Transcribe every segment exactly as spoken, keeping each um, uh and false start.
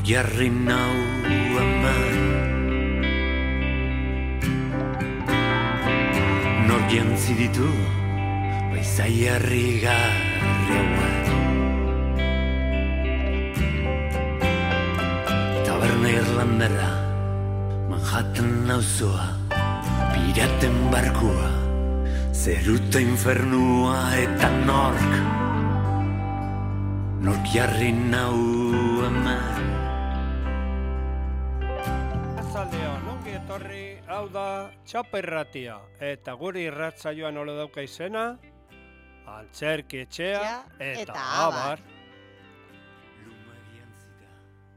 Nor jarri nau aman, nor jantzi ditu baizai harri garri hauak. Taberna Irlandera, Manhattan auzoa, piraten barkua, zeruta infernua eta nork, nork jarri nau aman. Arratsaldeon, ongi etorri, hau da Txapa Irratia, eta guri irratsaioan nola dauka izena, Antzerki Etxea eta Abar.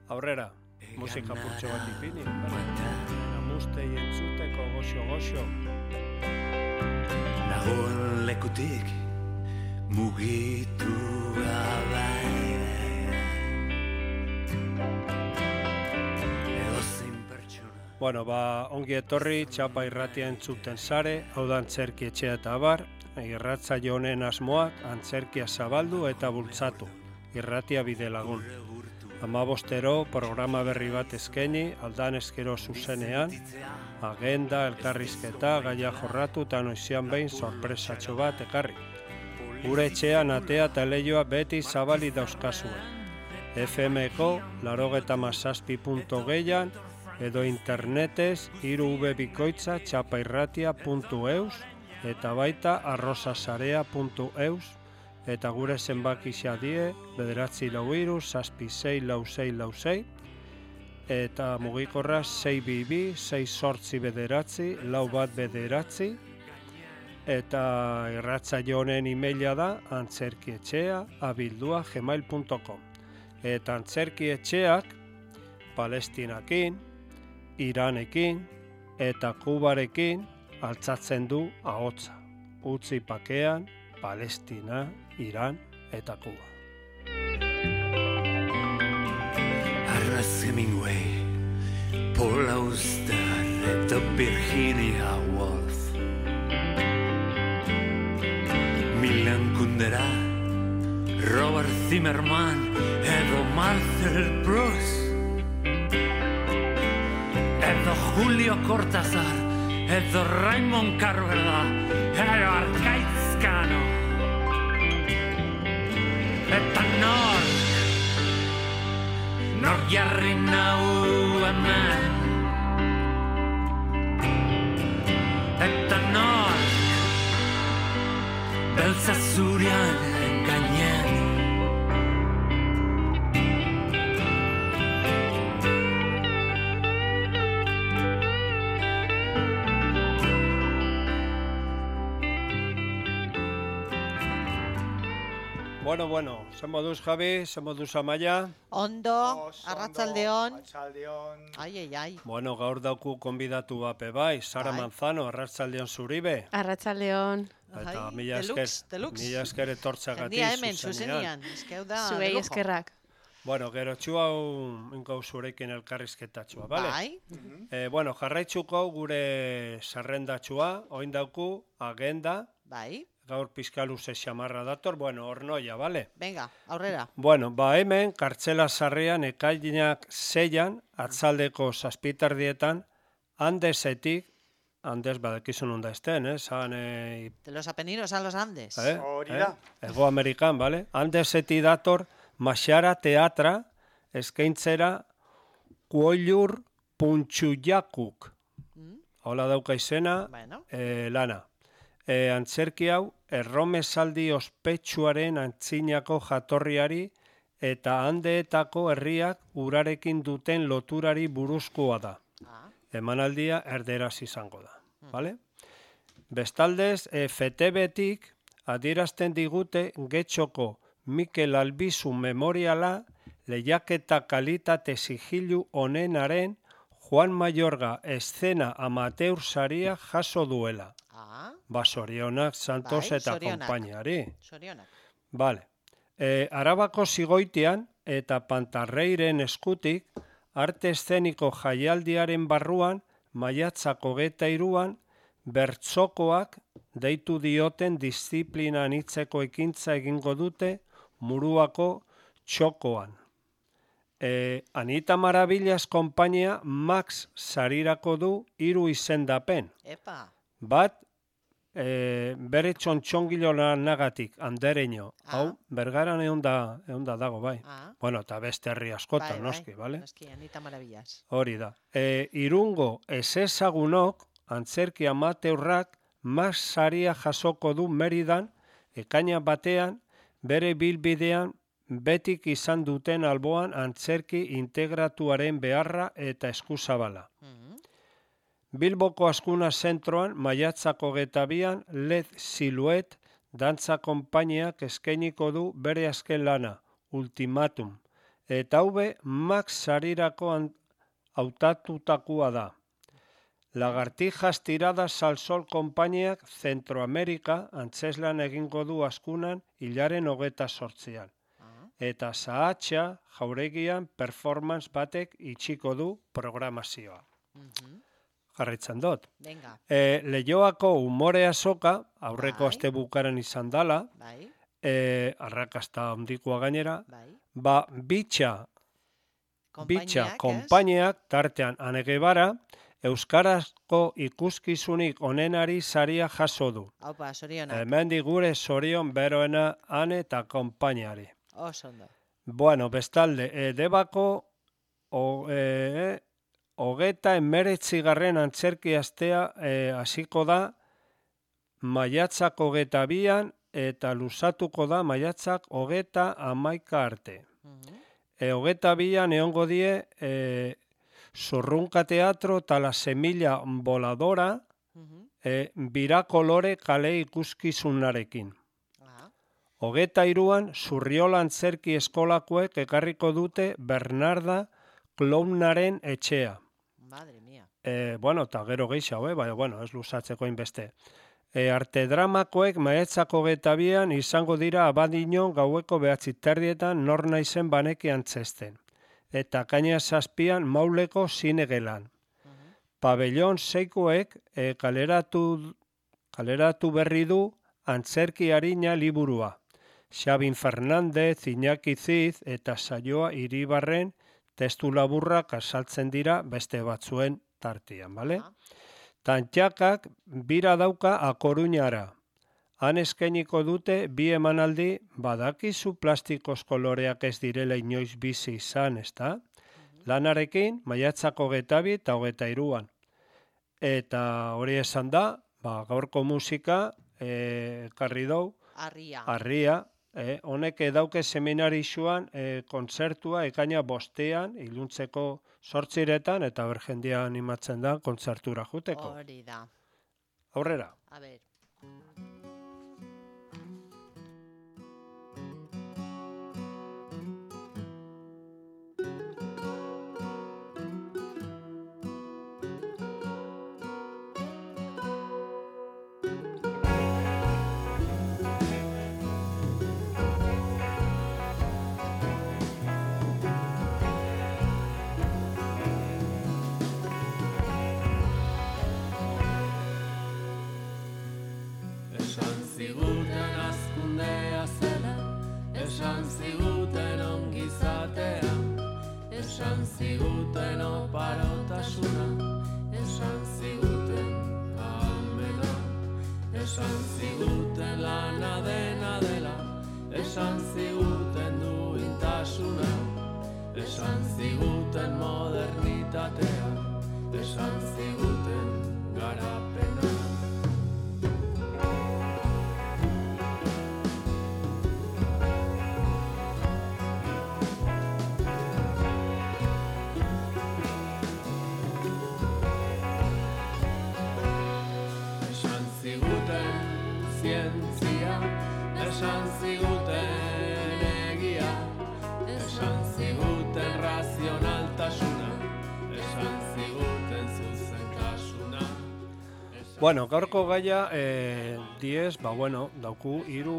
Aurrera, musika purtsu bat ipini, amustei entzuteko goxo-goxo. Nagoen lekutik mugitu gabe. Edozein pertsona. Bueno, ba, ongi etorri Txapa Irratia entzuten sare, hau da Antzerki Etxea eta Abar, irratsaio honen asmoak antzerkia zabaldu eta bultzatu, irratia bide lagun. Hamabostero programa berri bat eskaini, aldan eskero zuzenean, agenda, elkarrizketa, gaia jorratu eta noizean behin sorpresatxo bat ekarri. Gure etxean atea eta leioa beti zabali dauzkazue. F M-ko laurogeta mazazpi puntu geian edo internetez hiru v bikoitza txapairratia puntu eus eta baita arrosasarea puntu eus eta gure zenbakixea die bederatzi lau hiru zazpi sei lau sei lau sei eta mugikorra sei bi bi sei zortzi bederatzi lau bat bederatzi eta irratsaio honen emaila da antzerkietxea abildua gmail puntu com eta antzerkietxeak Palestinakin, Iranekin eta Kubarekin altzatzen du ahotsa. Utzi pakean, Palestina, Iran eta Kuba. Arras Hemingway, Paul Auster eta Virginia Woolf, Milan Kundera, Robert Zimmerman edo Marcel Proust, edo Julio Cortázar, edo Raymond Carverda, edo Arkaizkano, eta nork, nork jarri nau hemen, eta nork, beltza zurian gainen. Bueno, bueno, zen moduz Javi, zen moduz Amaia. Ondo, arratsaldeon. Arratsaldeon. Ai, ai, ai. Bueno, gaur dauku konbidatu bape bai, Sara Bai. Manzano, arratsaldeon zuribe. Arratsaldeon. Eta Ai, mila esker, deluxe, deluxe. mila esker etortzagatik Jendia hemen, zuzenean. zuzenian. Eskeu da, Zuei lujo. eskerrak. Bueno, gero txu hau inkau zurekin elkarrizketatxua, bale? Bai, Eh, bueno, jarraitzuko gure sarrendatxua, oin dauku, agenda, bai. gaur pizkaluze xamarra dator, bueno, ornoia, bale? Venga, aurrera. Bueno, ba hemen, kartzela sarrean, ekainak zeian, atzaldeko zazpitardietan, Andesetik, Andes badakizun onda esten, eh? Zan, eh, De los Apeninos a los Andes. eh? Hori eh? da. Ego Amerikan, bale? Andeseti dator, Maxara teatra, eskaintzera, Kuoilur Puntxujakuk. Mm, Hola dauka izena, Bueno, eh, lana. E, antzerki hau, erromesaldi ospetsuaren antzinako jatorriari eta handeetako herriak urarekin duten loturari buruzkoa da. ah, Emanaldia erderaz izango da. Vale? Bestaldez, e, F T B-tik adierazten digute Getxoko Mikel Albizu memoriala lehiaketa kalitate sigilu honenaren Juan Mayorga eszena amateur saria jaso duela. ah, Ba, sorionak Santos Bai, eta zorionak. konpainiari. sorionak. Vale. E, Arabako zigoitian eta Pantarreiren eskutik arte eszeniko jaialdiaren barruan maiatzako geta iruan bertzokoak deitu dioten disiplina anitzeko ekintza egingo dute Muruako txokoan. E, Anita Maravillas konpainia Max sarirako du hiru izendapen. Epa. Bat, e, bere txontxongilo nagatik, andereño. Ah. Hau, bergaran egon da, egon da dago, bai. Ah. Bueno, eta beste herri askotan, Bai, noski, bai, bale? Noski, Anita Maravillas. Hori da. E, irungo ezezagunok, antzerki amateurrak, Max saria jasoko du Meridan, ekaina batean, bere bilbidean, betik izan duten alboan antzerki integratuaren beharra eta eskuzabala. Mhm. Bilboko Askuna zentroan, maiatzako getabian, Led Siluet, dantza konpainiak eskainiko du bere azken lana, Ultimatum. Eta haube, Max sarirako hautatutakoa da. Lagartijas tiradas al sol konpainiak Zentroamerika antzeslan egingo du Askunan hilaren hogeta sortzian. Ah. Eta Sahatxa jauregian performance batek itxiko du programazioa. Mhm. Jarritzen dut. Venga, E, Leioako umore azoka, aurreko Bai. aste bukaran izan dala, bai, e, arrakasta handikoa gainera, bai. ba, bitxa, bitxa Konpainiak, ez? konpainiak, tartean Anegebara, euskarazko ikuskizunik onenari saria jaso du. Haupa, sorionak. Hemendik gure zorion beroena Ane eta konpainiari. Oso ondo. Bueno, bestalde, e, debako o, e, hogeta emeretzigarren antzerki astea e, hasiko da maiatzak hogeta bian eta luzatuko da maiatzak hogeta hamaika arte. Mhm. E, hogeta bian egongo die e, Zurrunka Teatro eta La Semilla Voladora Mhm. e, birakolore kale ikuskizunarekin. Ah. Hogeta iruan Zurriola antzerki eskolakoek ekarriko dute Bernarda Klounaren etxea. Madre mía. E, bueno, eta gero gehiago, eh? Baina, bueno, ez luzatzeko inbeste. E, arte dramakoek maetzako getabian izango dira abadinon gaueko behatzi terdietan nor naizen baneki antzesten. Eta kaina zazpian mauleko zinegelan. Mhm. Pabellon seikoek e, kaleratu, kaleratu berri du antzerki harina liburua. Xabin Fernandez, Iñaki Ziz eta Saioa Iribarren testu laburrak azaltzen dira beste batzuen tartian, bale? Ah. Tantxakak bira dauka A Coruñara. Han eskainiko dute bi emanaldi badakizu plastikoz koloreak ez direla inoiz bizi izan, ezta? Lanarekin maiatzako getabi eta hogeta iruan. Eta hori esan da, ba, gaurko musika e, karri dau, Arria. Arria, eh, honek dauke seminarixuan eh, kontzertua ekaina bostean, iluntzeko sortziretan, eta ber jendia animatzen da kontzertura juteko. Hori da. Aurrera. A ver. Esan ziguten azkundea zela, esan ziguten ongizatea, esan ziguten oparotasuna, esan ziguten ahalmena, esan ziguten lana dena dela, esan ziguten duintasuna, esan ziguten modernitatea, esan ziguten garapena. Esan ziguten zientzia, esan ziguten egia, esan ziguten razionaltasuna, esan ziguten zuzentasuna. Bueno, gaurko gaia eh, diez, ba bueno, dauku hiru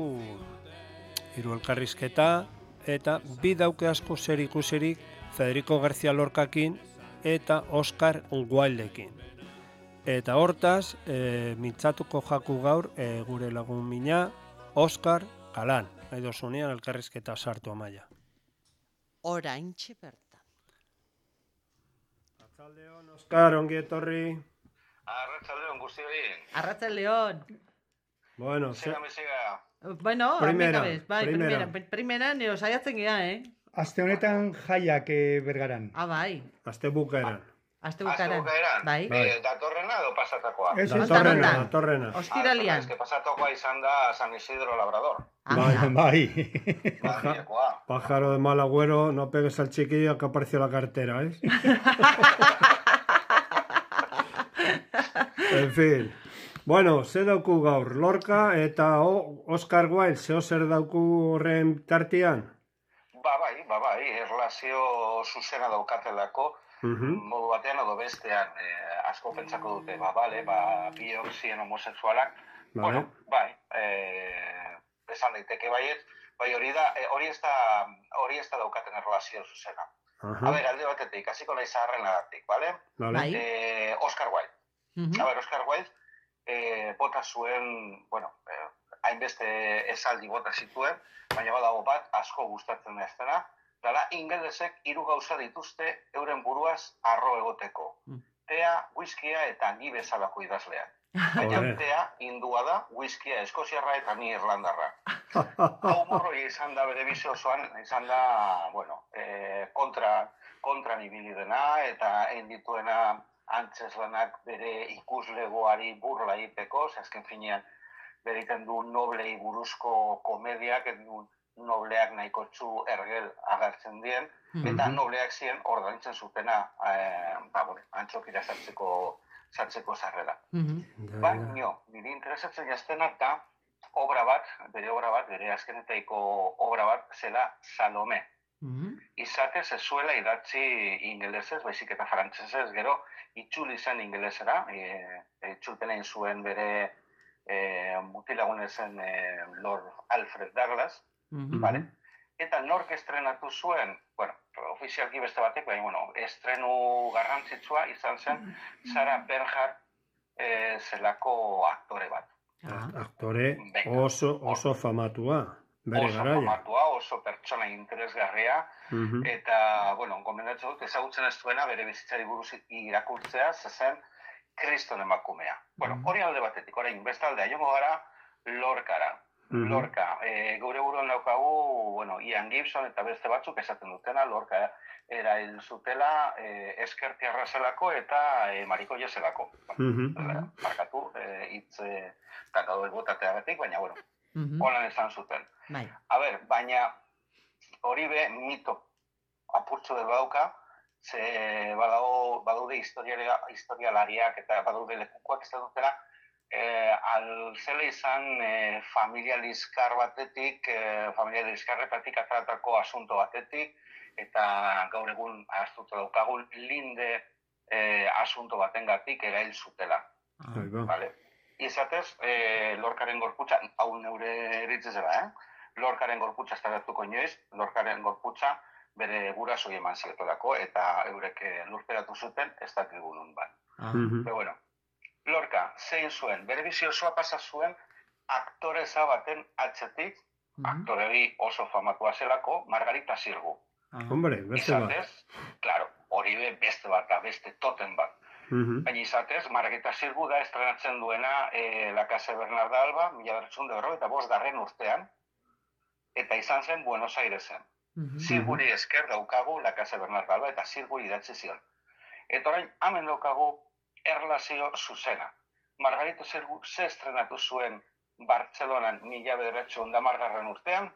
hiru elkarrizketa eta bi dauke asko zer ikusirik Federico García Lorcakin eta Oscar Wildekin. Eta hortaz, e, mintzatuko jaku gaur e, gure lagun mina Oscar Kalan. Nahi dozunean elkarrizketa sartu amaia. Oraintxe bertan. Arratsaldeon, Oskar, ongi etorri. Arratsaldeon guztioi. Arratsaldeon. Bueno, ze... Zega mezega. Bueno, Primera, amigabez, bai, primera. primera. Primera, neo saiatzen gea, eh? Aste honetan jaiak eh, bergaran. Ah, bai. Aste bukaeran. Aste Azte bukaeran. bukaeran. Bai. Bai. Eh, datorrena edo pasatakoa? Ez, ez, Datorrena, Nontan? datorrena. Ostiralian. Ez que pasatakoa izan da San Isidro Labrador. Bai. bai. Madrilekoa. Pájaro de mal agüero, no pegues al chiquillo que apareció la cartera, ¿eh? En fin. Bueno, ze dauku gaur, Lorca eta o, Oscar Wilde, zeo zer dauku horren tartian? Ba bai, ba bai, erlazio zuzena daukatelako, Uh-huh. modu batean edo bestean, eh, asko pentsako dute, ba bale, ba biok ziren homosexualak, Vale. bueno, bai, eh, esan daiteke baiet, bai hori da, eh, hori ez da, hori ez da daukaten erlazio zuzena. Aha, A ber, alde batetik, hasiko nahi zaharrenagatik, bale? vale. Bai. Eh, Oscar Wilde. Mhm. A ber, Oscar Wilde, eh, bota zuen, bueno, eh, hainbeste esaldi bota zituen, baina badago bat asko gustatzen ez dena, dala ingelesek hiru gauza dituzte euren buruaz arro egoteko. Mm. Tea, whiskia eta ni bezalako idazleak. Baina Ole. tea indua da, whiskia eskoziarra eta ni irlandarra. Hau morroi izan da bere bizi osoan, izan da, bueno, eh, kontra, kontra nibili dena, eta egin dituena antzeslanak bere ikuslegoari burla egiteko, ze azken finean bere egiten du noblei buruzko komediak, ez du nobleak nahikotxu ergel agertzen dien, eta nobleak ziren ordaintzen zutena, eh, ba, bueno, antxokira sartzeko, sartzeko sarrera. Mhm. Baina, niri interesatzen jaztenak da, obra bat, bere obra bat, bere azkenetaiko obra bat, zela Salome. Mhm. Izatez ez zuela idatzi ingelesez, baizik eta frantsesez, gero itzuli zen ingelesera, e, itzulpen egin zuen bere e, mutilagun zen e, Lord Alfred Douglas, Mhm. vale? Eta nork estrenatu zuen, bueno, ofizialki beste batek, baina, bueno, estrenu garrantzitsua izan zen Sarah Bernhardt e, zelako aktore bat. Ah. Aktore Venga. oso, oso famatua, bere Oso garaia. famatua, oso pertsona interesgarria, Mhm. eta, bueno, gomendatzen dut, ezagutzen ez duena bere bizitzari buruz irakurtzea, zezen kriston emakumea. Bueno, hori alde batetik, orain, bestaldea, jongo gara Lorcara. Mhm. Lorca, e, geure buruan daukagu, bueno, Ian Gibson eta beste batzuk esaten dutena, Lorca erail zutela e, eskertiarra zelako eta e, marikoia zelako. Mhm. Bueno, markatu, e, hitz e, kakadoi botateagatik, baina, bueno, Mhm. holan esan zuten. Bai. A ber, baina hori be mito apurtxo dut badauka, ze badago, badaude historiaria, historialariak eta badaude lekukoak ez dutela, eh, alzela izan eh, familia liskar batetik, eh, familia liskarretatik ateratako asunto batetik, eta gaur egun ahaztuta daukagun linde eh, asunto batengatik erail zutela. Ahí va. Vale. Izatez, eh, Lorcaren gorputza, hau neure eritzez zera, eh? Lorcaren gorputza estaratuko inoiz, Lorcaren gorputza bere gurasoi eman ziotelako, eta eurek eh, lurperatu zuten, ez dakigu nun ban. Ah. Mhm. Pero bueno, Lorca zein zuen, bere bizi osoa pasa zuen aktoreza baten atzetik, Mhm. aktoregi oso famatua zelako, Margarita Sirgu. Ah. Hombre, beste bat. Izatez, claro, hori be beste bat da, beste toten bat. Mhm. Baina izatez, Margarita Sirgu da estrenatzen duena e, La Casa de Bernarda Alba, mila bederatziehun eta berrogeita bost garren urtean, eta izan zen Buenos Airesen. Mhm. Zirguri esker daukagu La Casa de Bernarda Alba, eta Zirguri idatzi zion. Eta orain, hemen daukagu erlazio zuzena. Margarita Sirgu ze estrenatu zuen Bartzelonan mila bederatziehun eta hamargarren urtean?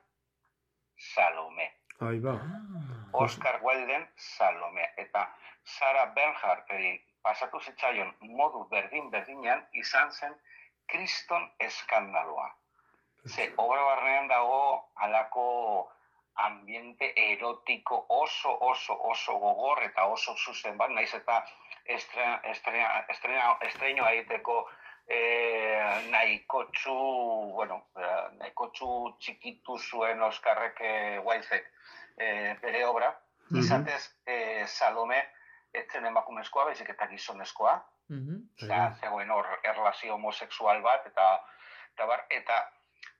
Salome. Ahí va. Ah. Oscar Wilden Salome. Eta Sarah Bernhardteri pasatu zitzaion modu berdin-berdinean izan zen kriston eskandaloa. Ze obra barnean dago alako ambiente erotiko oso, oso, oso gogor eta oso zuzen bat, naiz eta estrena, estrena, estrena, estreinoa egiteko eh, nahikotxu, bueno, eh, nahikotxu txikitu zuen Oskarrek eh, Wildek eh, bere obra, izatez eh, Salome etzen emakumezkoa, baizik eta gizonezkoa, Mhm. eta zegoen hor erlazio homosexual bat, eta, eta, bar, eta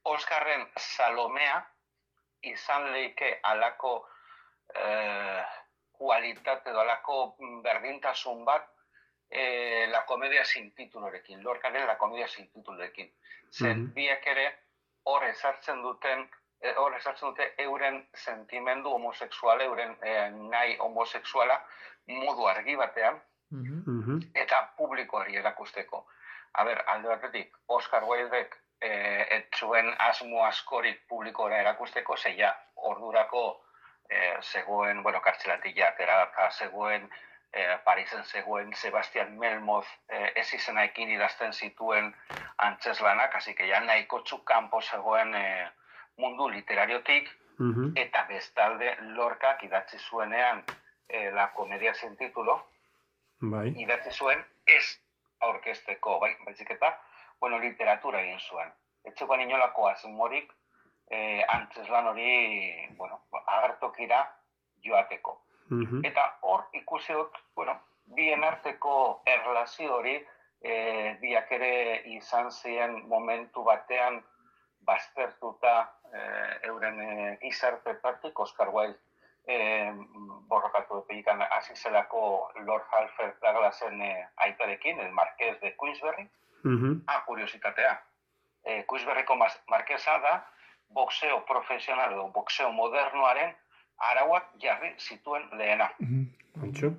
Oskarren Salomea izan leike alako eh, kualitate edo alako berdintasun bat e, La Comedia sin titulorekin, Lorcaren La Comedia sin titulorekin. Zen Mhm. biek ere hor ezartzen duten, eh, hor ezartzen dute euren sentimendu homosexuala, euren eh, nahi homosexuala modu argi batean, Mhm. Mhm. eta publikoari erakusteko. A ber, alde batetik, Oscar Wildek eh, ez zuen asmo askorik publikora erakusteko, zeia ordurako eh, zegoen, bueno, kartzelatik jatera, eta zegoen eh, Parisen zegoen Sebastian Melmoth eh, ez izenaekin idazten zituen antzeslanak, hasi que ja nahiko txuk kanpo zegoen eh, mundu literariotik, Mhm. eta bestalde Lorcak idatzi zuenean eh, La Comedia sin titulo, Bai. idatzi zuen ez aurkezteko, bai, baizik eta, bueno, literatura egin zuen. Etxekoan inolako asmorik eh, antzeslan hori, bueno, agertokira joateko. Mhm. Eta hor ikusi dut, bueno, bien arteko erlazio hori, eh, biak ere izan ziren momentu batean baztertuta eh, euren eh, gizartetatik, Oscar Wilde eh, borrokatu epegikan hasi zelako Lord Halford Douglasen eh, aitarekin, el Marqués de Queensberry. Mhm. Ah, kuriositatea. Eh, Queensberryko mas- markesa da boxeo profesional edo boxeo modernoaren arauak jarri zituen lehena. Antxo.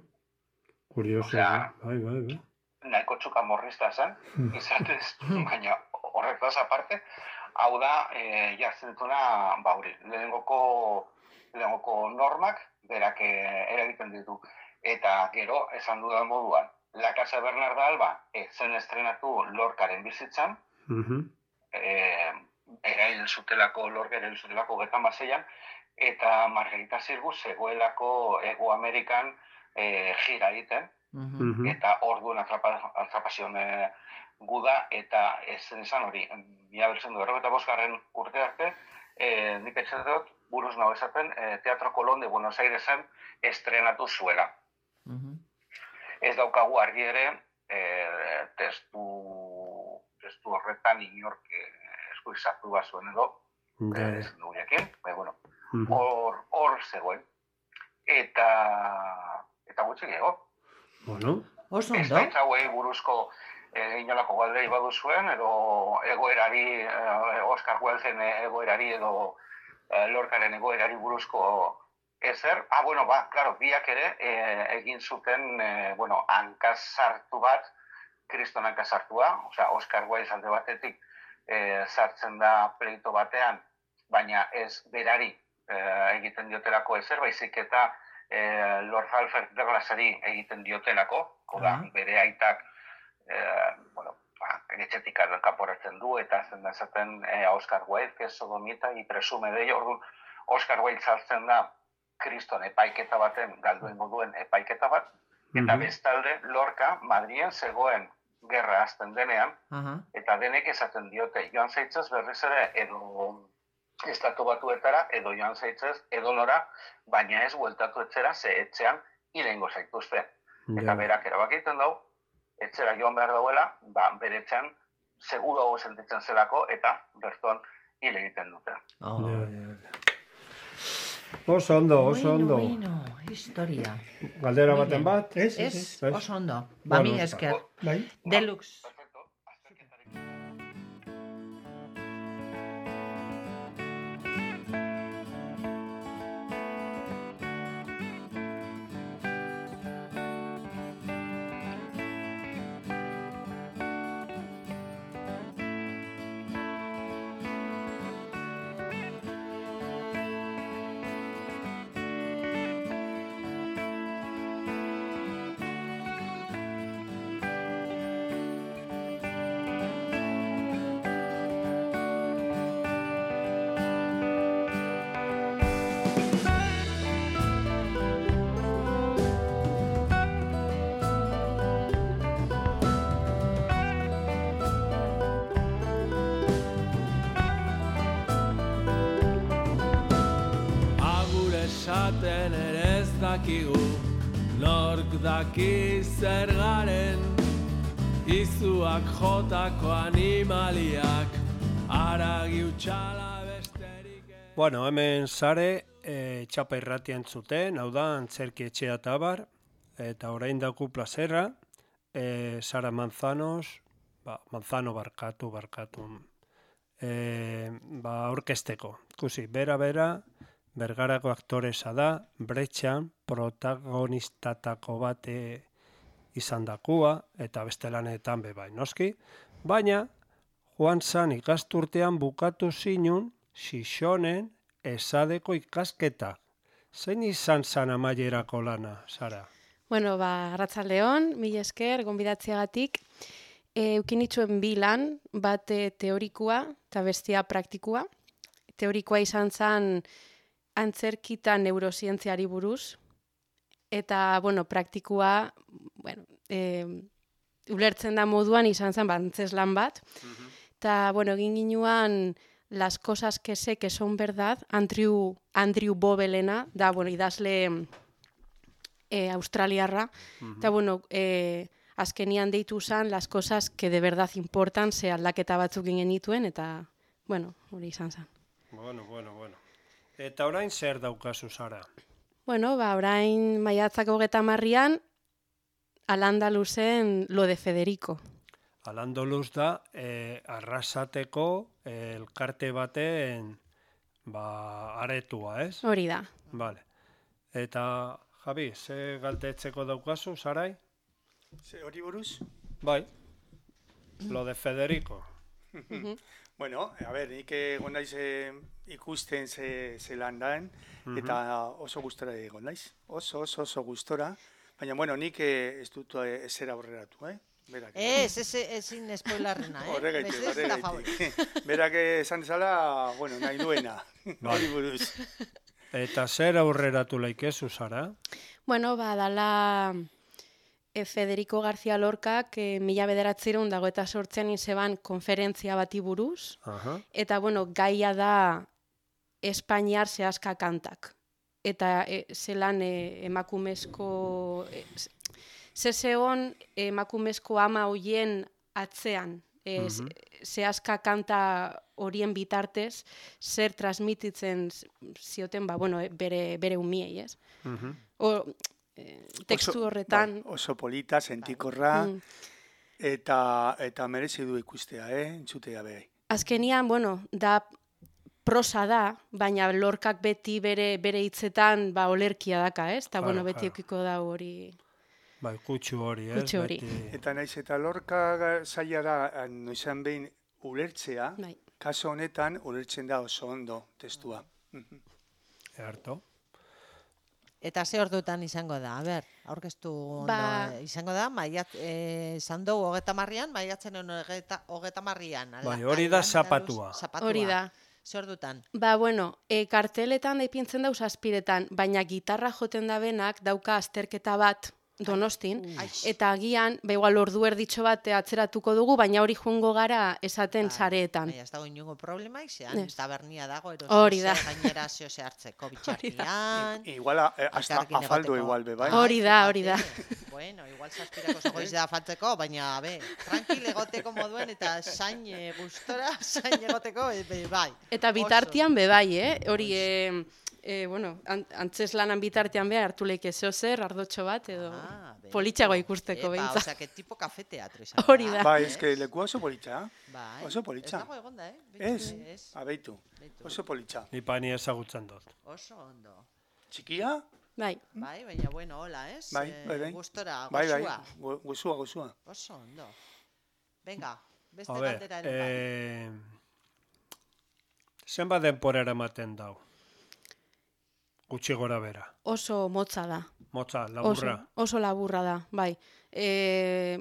Kurioso, Osea, bai, bai, bai. Nahiko txuka morrista zen, izatez, baina horretaz aparte, hau da, e, jartzen dituna, ba hori, lehenengoko, lehenengoko normak, berak e, eragiten ditu. Eta gero, esan dudan moduan, La Casa Bernarda Alba, ez zen estrenatu Lorcaren bizitzan, Mhm. e, erail zutelako, Lorca erail zutelako getan baseian, eta Margarita Sirgu zegoelako Ego Amerikan e, gira egiten, Mhm. Mhm. eta orduan atrapa, atrapazion e, guda, eta ez zen izan hori, mila bertzen du, errogeta bosgarren urte arte, e, nik etxet dut, buruz nago esaten, e, Teatro Colón de Buenos Airesen estrenatu zuela. Mhm. Ez daukagu argi ere, e, testu, testu horretan inork e, esku izartu bazuen edo, Ja, e, ja. ez du jakin, baina, bueno, Mhm. hor, hor zegoen. Eta, eta gutxi gehiago. Bueno, Oso Ez ondo. baitz hauei buruzko eh, inolako galdei baduzuen, edo egoerari, eh, Oscar Wilden egoerari edo eh, Lorcaren egoerari buruzko ezer. Ah, bueno, ba, claro, biak ere eh, egin zuten, eh, bueno, hankasartu bat, kriston hankasartua, osea, Oscar Wilde alde batetik eh, sartzen da pleito batean, baina ez berari eh, egiten diotelako ezer, baizik eta eh, Lord Halford Douglasari egiten diotelako, oda, Ah. bere aitak, eh, bueno, ba, etxetik kanporatzen du, eta zen da esaten eh, Oscar Wilde, que es sodomita y presume de ello, orduan, Oscar Wilde sartzen da kriston epaiketa baten, galduengo duen epaiketa bat, eta Mhm. bestalde Lorca Madrien zegoen gerra hasten denean, Aha. eta denek esaten diote, joan zaitzez berriz ere edo estatu batuetara, edo joan zaitzez edo nora, baina ez bueltatu etxera, ze etxean hilengo zaituzte. Eta Ja. berak erabakiten dau, etxera joan behar dauela, ba, bere etxean seguruago sentitzen zelako, eta berton hil egiten dute. Oh. Ja, ja, ja. Oso ondo, oso Bueno, ondo. bueno, historia. Galdera Muy baten bat. bat? Ez, ez, Ez, ez. ez. oso ondo. Ba, Bueno, mi esker. Bai. Deluxe. Perfecto, azterketarekin. Agur esaten ere ez dakigu, nork daki zer garen, izuak jotako animaliak, aragi utxala besterik ez. Bueno, hemen sare e, txapa irratia entzuten, hau da, antzerki etxea eta abar, eta orain daku plazerra, e, Sara Manzanos, ba, Manzano barkatu, barkatu, e, ba, orkesteko. Ikusi, bera-bera, Bergarako aktoresa da, Bretxan, protagonistatako bate izan dakua, eta beste lanetan bebai, noski, baina, joan zan ikasturtean bukatu zinun, Xixonen esadeko ikasketa. Zein izan zan amaierako lana, Sara? Bueno, ba, arratsaldeon, mila esker, gonbidatziagatik. E, Eukinitxuen bi lan, bat teorikoa eta bestia praktikua. Teorikoa izan zen antzerkita neurozientziari buruz, eta, bueno, praktikua, bueno, e, ulertzen da moduan izan zen, ba, antzeslan bat, eta, bueno, egin ginuan Las cosas que sé que son verdad, Andrew, Andrew Bobelena, da, bueno, idazle e, australiarra, eta, bueno, e, azkenian deitu zen Las cosas que de verdad importan, ze aldaketa batzuk ginen dituen, eta, bueno, hori izan zen. Bueno, bueno, bueno. Eta orain zer daukazu, Sara? Bueno, ba, orain maiatzak hogeta marrian, Al-Andaluzen Lo de Federico. Al-Andaluz da, eh, arrasateko eh, elkarte baten ba, aretua, ez? Hori da. Vale. Eta, Javi, ze galdetzeko daukazu, Sarai? Ze hori buruz? Bai. Lo de Federico. Bueno, a ber, nik egon naiz eh, ikusten ze, ze landan, eta oso gustora egon naiz. Oso, oso, oso gustora. Baina, bueno, nik eh, ez dut eh, ezer aurreratu, eh? Berak. Ez, ez, ezin spoilarrena, eh? Horregaitik, Mesedez, eta favor. horregaitik. Berak esan dezala, bueno, nahi duena. Hori buruz. Eta zer aurreratu laikezu, Sara? Bueno, ba, dala e, Federico García Lorcak e, mila bederatzireun dago eta sortzean izeban konferentzia bati buruz, Aha. eta, bueno, gaia da Espainiar zehazka kantak. Eta e, zelan e, emakumezko... E, Zezeon emakumezko ama hoien atzean, e, Mhm. zehazka kanta horien bitartez, zer transmititzen zioten, ba, bueno, bere, bere umiei, ez? Mhm. O, e, tekstu Oso- horretan... bai, oso polita, sentikorra, Mm. eta, eta merezi du ikustea, eh? Entzutea behai. Azkenian, bueno, da prosa da, baina Lorcak beti bere bere hitzetan ba olerkia daka, ez? Eta, Claro, bueno, beti claro. eukiko da hori... Bai, kutsu hori, ez? Kutsu hori. Beti- Eta naiz eta Lorca zaila da, noizan behin ulertzea, Bai. kaso honetan ulertzen da oso ondo testua. Mhm. Earto. Eta ze ordutan izango da, a ber, aurkeztu ondo, Ba- eh, izango da, maiat, eh, esan dugu hogeta marrian, maiatzen hogeta, hogeta marrian. ala- Bai, hori da Al-Andalus, zapatua. zapatua. Hori da. Ze ordutan? Ba, bueno, e, karteletan da ipintzen dauz azpiretan, baina gitarra joten da benak dauka azterketa bat Donostin, Ai. eta agian, ba, igual ordu erditxo bat atzeratuko dugu, baina hori joango gara esaten sareetan. Baina ez dago inungo problemaik, zean Ez. tabernia dago, erosi Hori da. zer gainera zeo ze hartzeko bitxartian. Igual, eh, hasta Elkarrekin afaldu egoteko. igual be, bai? Hori da, hori da. Bueno, igual zazpirako zegoiz da faltzeko, baina, be, tranquil egoteko moduen eta zain e, gustora, zain egoteko, e, be, bai. Eta bitartian be bai, eh? Hori, e, e, bueno, an, antzeslanan bitartean be hartu leike zeo zer, ardotxo bat, edo Ah, be, politxago ikusteko Epa, behintzat. osea, que tipo kafe teatro izan. Hori da. Bai, eske leku oso politxa. Bai. Oso politxa. Ez dago egonda, eh? Ez, Ez. abeitu. Beitu. Oso politxa. Ni pani ezagutzen dut. Oso ondo. Txikia? Bai. Bai, baina bueno, hola, ez? Bai, Eh, bai, bai. Gustora, Bai, bai, gozua. gu- gozua, gozua. Oso ondo. Venga, beste A ber, galdera ere bai. eh, zenbat denporara ematen dau? Gutxi gora bera. Oso motza da. Motza, laburra. Oso, oso laburra da, bai. E,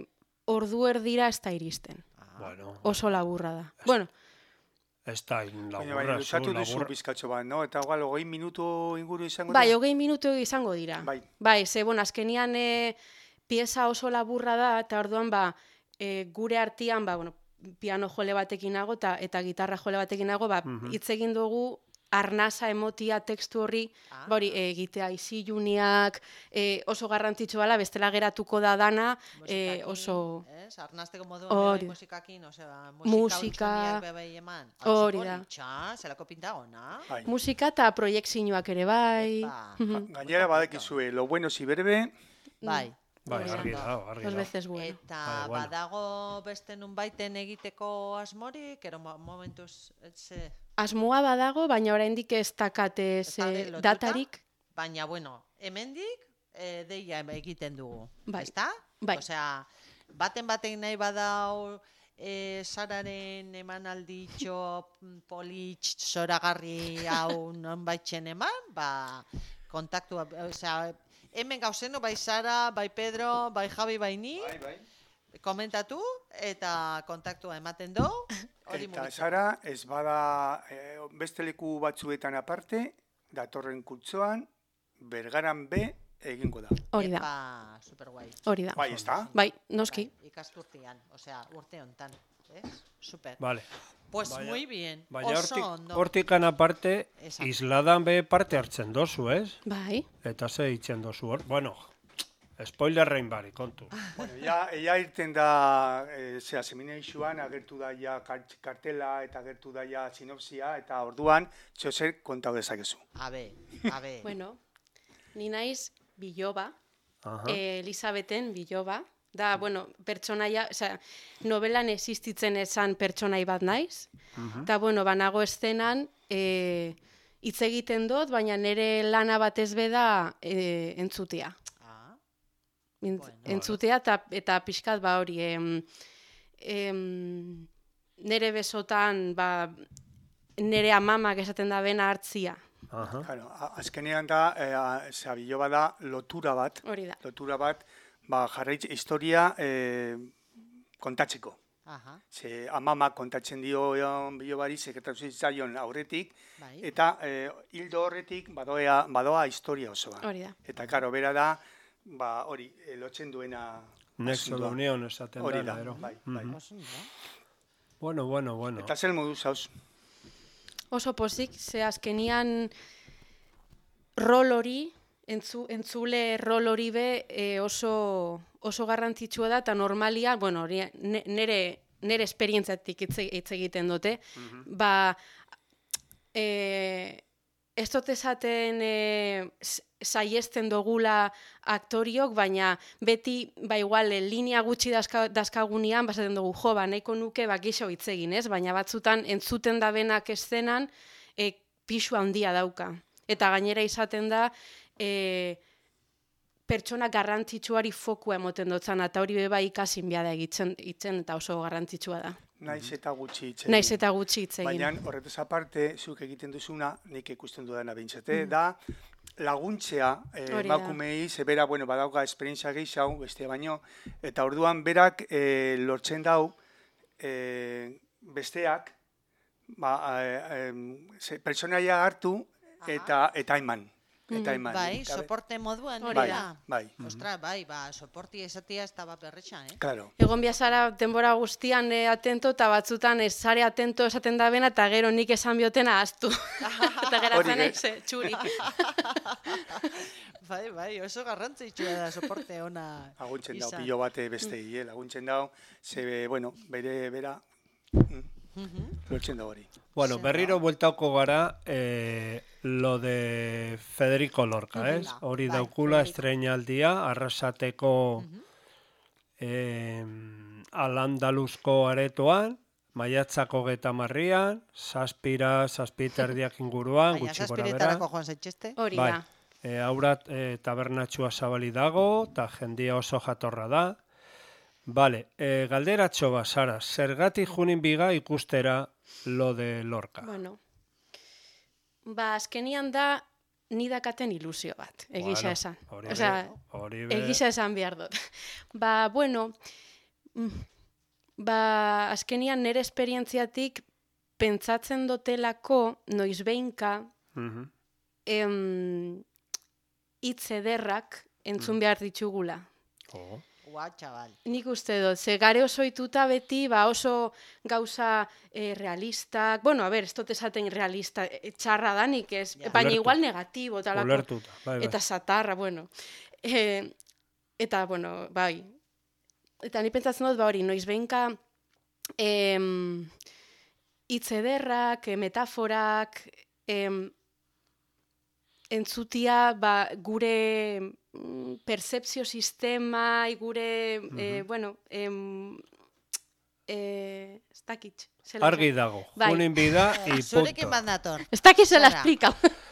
ordu erdira ez da iristen. Bueno, Oso laburra da. Bueno, ez da Baina, laburra, baina, zu, usatu duzu laburra. bizkatxo bat, no? Eta igual, hogei minutu inguru izango bai, da? hogei minutu izango dira. Bai. Bai, ze, bueno, azkenian e, pieza oso laburra da, eta orduan, ba, e, gure artean, ba, bueno, piano jole batekin nago, eta, eta gitarra jole batekin nago, ba, Mhm. hitz egin dugu arnasa emotia tekstu horri, Ah. ba hori, egitea iziluniak, e, oso garrantzitsua dela, bestela geratuko da dana, e, Musikakin, oso... Ez? Arnazteko moduan Hori bebai da. musikakin, osea, Musika- musika hutsuneak bebai eman. Hori da. Politxa, zelako pinta ona. Bai. Musika eta proiektzioak ere bai. Epa. Mhm. Gainera badakizue, lo bueno si berbe, Bai. Bai, Hori da. argi da, argi Dos da. veces bueno. Eta Bai, bueno. badago beste nun baiten egiteko asmorik, ero mo- momentuz, etxe, Asmoa badago, baina oraindik ez dakate Ez daude ze lotuta? datarik. baina, bueno, hemendik e, deia egiten dugu, Bai. ezta? Bai. Osea, baten batek nahi badau e, Sararen emanalditxo politx zoragarri hau nonbaitzen eman, ba, kontaktua, osea, hemen gauzeno, bai Sara, bai Pedro, bai Javi, bai ni, bai, bai. komentatu eta kontaktua ematen du, hori Eta mugitzen. Sara, ez bada eh, beste leku batzuetan aparte, datorren kutzoan, bergaran be egingo da. Hori da, Epa, superguai. hori da. Bai, ez da? Bai, noski. Bai, ikasturtean, osea, urte hontan, ez? Super. Vale. Pues Baina- muy bien, Baina oso hortik, ondo. hortikan aparte, Esan. isladan be parte hartzen dozu, ez? Bai. Eta ze itzen dozu hor. Bueno, spoilerrein bari, kontu. Bueno, ja, ea irten da, e, zera, seminarixuan, agertu da ja kart- kartela eta agertu da ja sinopsia, eta orduan, txozer kontau dezakezu. Abe, abe. Bueno, ni naiz biloba, Aha. eh, Elisabeten biloba. Da, bueno, pertsonaia, osea, novelan existitzen esan pertsonai bat naiz. Eta, bueno, banago eszenan, eh, hitz egiten dut, baina nire lana batez beda eh, entzutea. Ah, Mint- Bueno. entzutea eta, eta pixkat ba hori, em, em, nere besotan, ba, nere amamak esaten da bena hartzia. Aha. Claro, a- azkenean da, e, a- zera, biloba da lotura bat, Hori da. lotura bat, ba, jarraitz historia e, kontatzeko. aha, Ze amamak kontatzen dio e, bilobari, sekretatu zitzaion aurretik, bai. eta e, hildo horretik badoa, badoa historia osoa. Hori da. Eta, karo, bera da, ba, hori, e, lotzen duena Nexo asuntoa. de unión esaten Hori dela, da, ero. bai, bai. Mhm. Oso ondo. Bueno, bueno, bueno. Eta zel modu zauz? Oso pozik, ze azkenian rol hori, entzu, entzule rol hori be e, oso, oso garrantzitsua da, eta normalia, bueno, hori ne- nere, nere esperientzatik hitz e- hitz egiten dute, ba, e, ez dut esaten e, s- saiesten dogula aktoriok, baina beti, ba igual, e, linea gutxi dazka, dazkagunean, basaten dugu, jo, ba, nahiko nuke, ba, gixo hitz egin, ez? Baina batzutan, entzuten da benak eszenan, e, pixu handia dauka. Eta gainera izaten da, e, pertsona garrantzitsuari fokua emoten dutzen, eta hori beba ikasin biada egitzen, itzen, eta oso garrantzitsua da. Naiz eta gutxi hitz egin. Naiz eta gutxi hitz egin. Baina horretaz aparte, zuk egiten duzuna, nik ikusten dudana Mm. behintzate, da laguntzea eh, Hori da. emakumei, ze bera, bueno, badauka esperientzia gehiago, bestia baino, eta orduan berak eh, lortzen dau eh, besteak, ba, eh, em, ze, pertsonaia hartu eta eta eman. Eta eman. Bai, Eta be- soporte moduan, Hori bai, da. bai, Ostra, bai, ba, soporti esatia ez da bat berretxan, eh? claro. Egon biazara denbora guztian e, atento, eta batzutan ez sare atento esaten da bena, eta gero nik esan biotena ahaztu. eta Hori geratzen ge- naiz, eh, txuri. Bai, bai, oso garrantzitsua da soporte ona. Laguntzen dau, izan. pilo bate bestei, eh? laguntzen dau, ze, bueno, bere, bera, mm, Mhm. lortzen da hori. Bueno, Zer berriro bueltauko gara eh, lo de Federico Lorca, ez? Bai, Hori bai, daukula Federico. estreinaldia, arrasateko eh, Al-Andaluzko aretoan, maiatzako geta marrian, zazpira, zazpiterdiak inguruan, Baina gutxi gora bera. zazpiretarako joan zaitxeste. Hori Bai, da. e, aurat e, tabernatxua zabali dago, eta jendia oso jatorra da. Bale, e, galderatxo bat, Sara, zergatik junin biga ikustera lo de Lorca? Bueno, ba, azkenian da, nidakaten ilusio bat, egisa Bueno, esan. hori Osea, be- hori be- egisa esan behar dut. Ba, bueno, mm, ba, azkenian nire esperientziatik pentsatzen dotelako, noizbeinka, Mhm. em, hitz ederrak entzun behar ditugula. Oh. Ua, txabal. Nik uste dut, ze gare oso ituta beti, ba oso gauza eh, realistak, bueno, a ber, ez dut esaten realista, e, txarra danik ez, Ja. baina Ulertu. igual negatibo, talako, Ulertuta, bai, bai. eta satarra, bueno. E, eta, bueno, bai, eta ni pentsatzen dut, ba hori, noiz behinka em, hitz ederrak, eh, metaforak, em, entzutia ba, gure mm, percepzio sistema, gure, eh, bueno, em, eh, ez dakit. zela Argi esan. dago, Bai. junin bida, y Zurekin punto. bat nator. Ez dakit zela Sara. explica.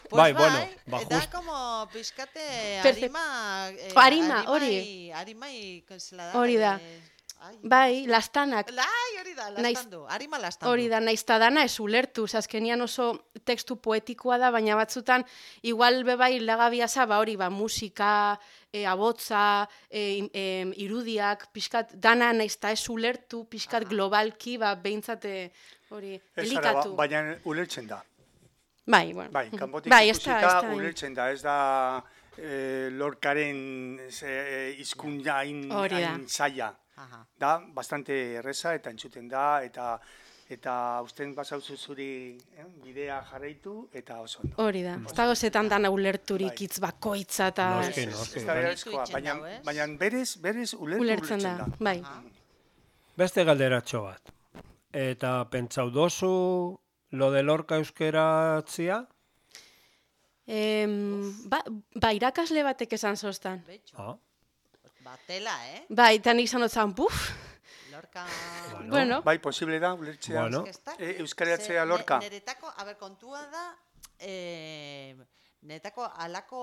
Pues Bai, bueno, ba, da just- como pizkate Perce- arima... Eh, Arima, hori. arimai- Arimai, zela da. Hori da. eh, ai, Bai, lastanak. Lai, hori da, Naiz- lastandu. Arima lastandu. Hori da, naiz ta dana ez ulertu, ze azkenian oso tekstu poetikoa da, baina batzutan, igual bebai lagabiaza, ba hori, ba, musika, e, abotza, e, im- em, irudiak, pixkat, dana naiz ta ez ulertu, pixkat globalki, ba, behintzate, hori, Ez ara, ba, elikatu. baina ulertzen da. Bai, bueno. Bai, kanpotik bai, ez da, ikusita ez da. ulertzen da, ez da eh, lorkaren eh, hizkuntza hain Hori da. hain zaila. Aha. Da, bastante erreza eta entzuten da, eta eta usten basauzu zuri eh, bidea jarraitu, eta oso ondo. Hori da, ez dago zetan dana ulerturik Bai. hitz bakoitza eta... Noski, Ez- noski, ez da bai. beharrezkoa, Itzen baina, dau, ez? baina berez, berez ulertu Ulertzen da, bai. Beste galderatxo bat. Eta pentsau dozu lo de Lorca euskeratzia? Em, ba, ba, irakasle batek esan zoztan. Betxo. Ah, Batela, eh? Bai, eta nik izan dut zan, buf, Lorca... Bueno. bueno, Bai, posible da, ulertzea. Bueno. Ez que ez da- E, euskaratzea ze- Lorca. ne- Neretako, a ber, kontua da, eh, neretako alako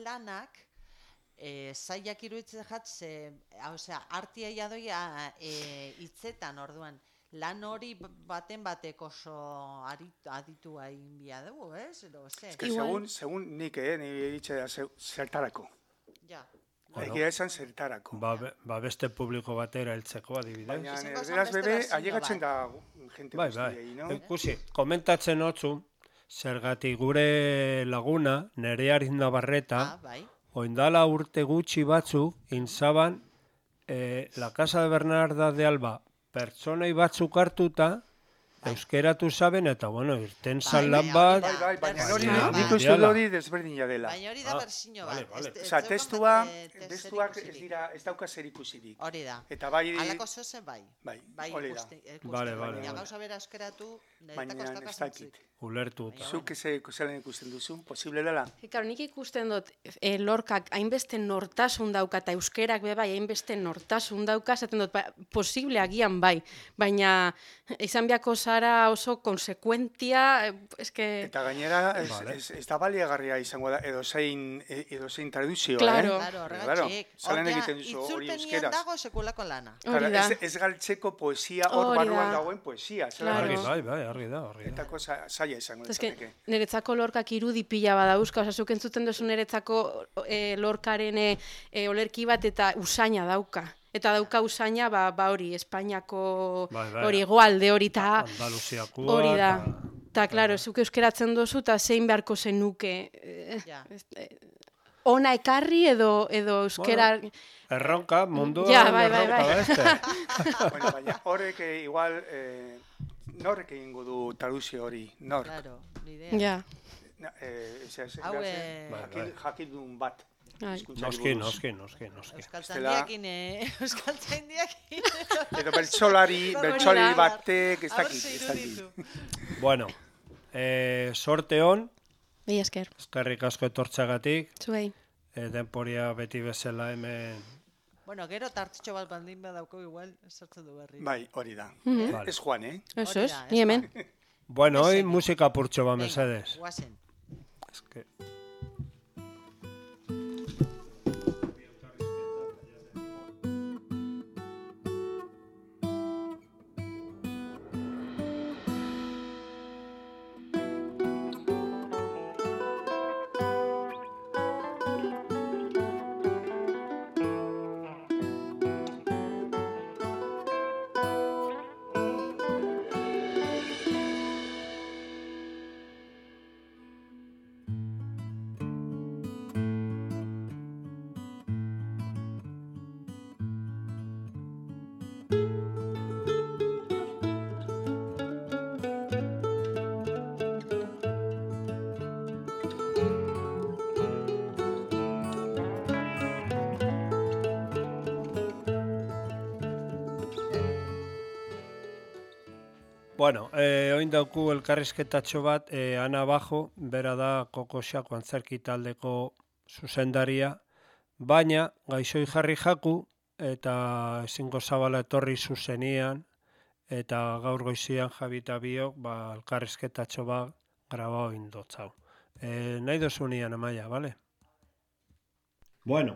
lanak, eh, zaiak iruditzen jat, ze, osea, artia jadoia eh, hitzetan orduan, lan hori b- baten batek oso arit- aditua egin bia dugu, ez? Edo, ze? Que Igual. segun, segun nik, eh, nire ditxe da, ze- zertarako. Ja. Bueno. Egia esan zertarako. ba, be- ba beste publiko batera heltzeko adibidez. Baina Izango zen erderaz beste bebe, bertsio ailegatzen da bat. jente Bai, bai. guztiei, no? Ikusi, komentatzen otzu, zergatik gure laguna, Nerea Navarreta, Ah, bai. oindala urte gutxi batzuk, inzaban, eh, la Casa de Bernarda de Alba, pertsonei batzuk hartuta, euskeratu zaben, eta bueno, irten zan lan baina bat, hori Bai, bai, baina Bai, hori, bai. nik uste dut hori desberdina dela. Baina hori da Ah, berzino vale, bat. vale. Ez- ez Osa, zeukan testua, bat, eh, testuak ez zerikusirik. dira, ez dauka zer ikusirik. Hori da. Eta bai, Alako zoze bai. bai, Bai, hori da. ikuste, ikuste. Vale, vale, Baina vale. gauza bera euskeratu, niretako Baina ez ez dauka dakit. zentzurik. ulertuta. Zuk ze zelan ikusten duzu, posible dela? Claro, nik ikusten dut e, Lorkak hainbeste nortasun dauka eta euskerak be bai hainbeste nortasun dauka, esaten dut ba, posible agian bai, baina izan biako zara oso konsekuentia, eh, eske Eta gainera, ez, Vale. ez, ez da baliagarria izango da, edo zein, e- edo zein traduzioa, Claro. eh? Claro, Claro, horregatik. zelan Ordea, egiten duzu hori itzulpenien euskeraz. dago sekulako lana. Claro, hori da. ez, ez galtzeko poesia hor Hori barruan da. dagoen poesia. Zelan Claro. Argi, ez? bai, bai, argi da, argi da. Eta koza zaila izango Ez que, litzateke. niretzako Lorkak irudi pila badauzka, oza, zuk entzuten duzu niretzako e, Lorkaren e, e, olerki bat eta usaina dauka. Eta dauka usaina, ba, ba hori, Espainiako Bai, bai. hori egoalde hori, eta Andaluziakoa. hori da. ta- Eta, klaro, zuk euskeratzen dozu, eta zein beharko zenuke. eh, Ja. ez- eh, Ona ekarri edo, edo euskera... Erronka, mundua Ja, bai, bai, erronka bai. beste. Bueno, baina horrek eh, igual, eh, norrek egingo du traduzio hori, nork. Claro, ni idea. Ja, Na, eh, ez, ez, Hau, ez, eh, Bai, jakin, bai. jakindun bat. bai. hizkuntzari Noski, buruz. noski, noski, noski. Euskaltzaindiakin, eh? Euskaltzaindiakin. Edo bertsolari, Hori bertsolari da. batek, ez Aber dakit, ze ez dakit. iruditu. Bueno, eh, sorte hon, Mila esker, eskerrik asko etortzagatik, zuei. eh, denporia beti bezala hemen, Bueno, gero tartitxo bat bandin badauko igual, sartzen du berri. Bai, hori da. Vale. Ez Juan, eh? Eso Hori es, da, ez ni hemen. Bueno, hoy Mesedez. musika purtxo ba, Venga, mesedes. guazen. Es que... Bueno, eh, oin dauku elkarrizketatxo bat, eh, Ana Bajo, bera da Kokoxako antzerki taldeko zuzendaria, baina gaixoi jarri jaku eta ezingo zabala etorri zuzenian, eta gaur goizian Jabita biok, ba, elkarrizketatxo bat grabau indotzau. Eh, nahi dozunian, Amaia, bale? Bueno,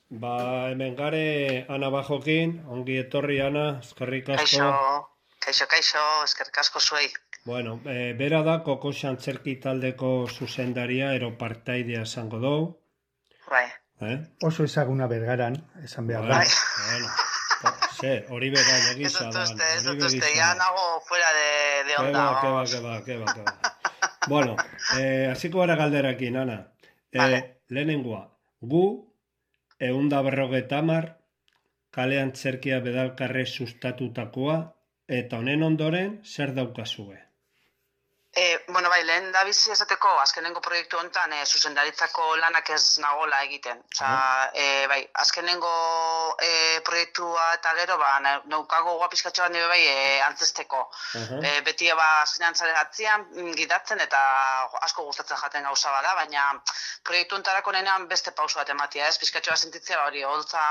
ba, hemen gare Ana Bajokin, ongi etorri, Ana, eskerrik asko. Kaixo, kaixo, kaixo, eskerrik asko zuei. Bueno, e, bera da Kokoxa antzerki taldeko zuzendaria, ero partaidea esango dugu. Bai. Eh? Oso ezaguna bergaran, esan behar da. Bai. Bueno, ze, hori bera egisa da. Ez dut uste, ez dut uste, ya nago fuera de, de onda. Keba, keba, keba, keba, keba. Bueno, eh, hasiko gara galderakin, Ana. Eh, vale. Lehenengoa, gu, eunda berrogeta hamar, kale antzerkia bedalkarre sustatutakoa, eta honen ondoren, zer daukazue? E, bueno, bai, lehen da bizi esateko, azkenengo proiektu honetan, e, zuzendaritzako lanak ez nagola egiten. Osa, e, bai, azkenengo e, proiektua eta gero, ba, naukago guapiskatxo bat nire bai, e, antzesteko. Uh-huh. E, beti ba, azkenean zare atzian, gidatzen eta asko gustatzen jaten gauza bada, baina proiektu honetarako nenean beste pauso bat ematia, ez? Pizkatxo bat sentitzea, hori, holtza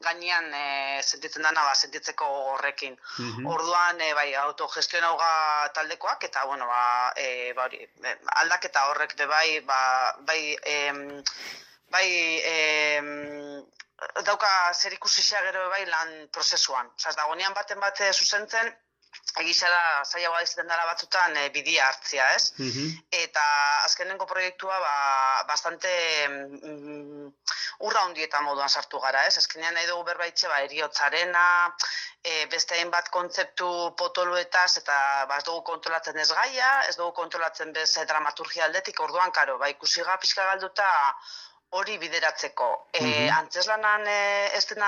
gainean e, sentitzen dana, ba, sentitzeko horrekin. Uh-huh. Orduan, e, bai, autogestionauga taldekoak, eta bueno, ba, e, ba, hori, aldaketa horrek be bai, ba, bai, em, bai, em, dauka zer ikusixea gero be bai lan prozesuan. Osa, ez dagoenean baten bate zuzentzen, egizara zailagoa izaten dela batzutan e, bidia hartzia, ez? Uh-huh. Eta azkenengo proiektua ba, bastante mm, urra hundieta moduan sartu gara, ez? Azkenean nahi dugu berbaitxe ba, eriotzarena, e, beste hainbat kontzeptu potoluetaz, eta ba, ez dugu kontrolatzen ez gaia, ez dugu kontrolatzen bez dramaturgia aldetik, orduan, karo, ba, ikusi ga pixka galduta hori bideratzeko. E, Mhm. Antzeslanan e, ez dena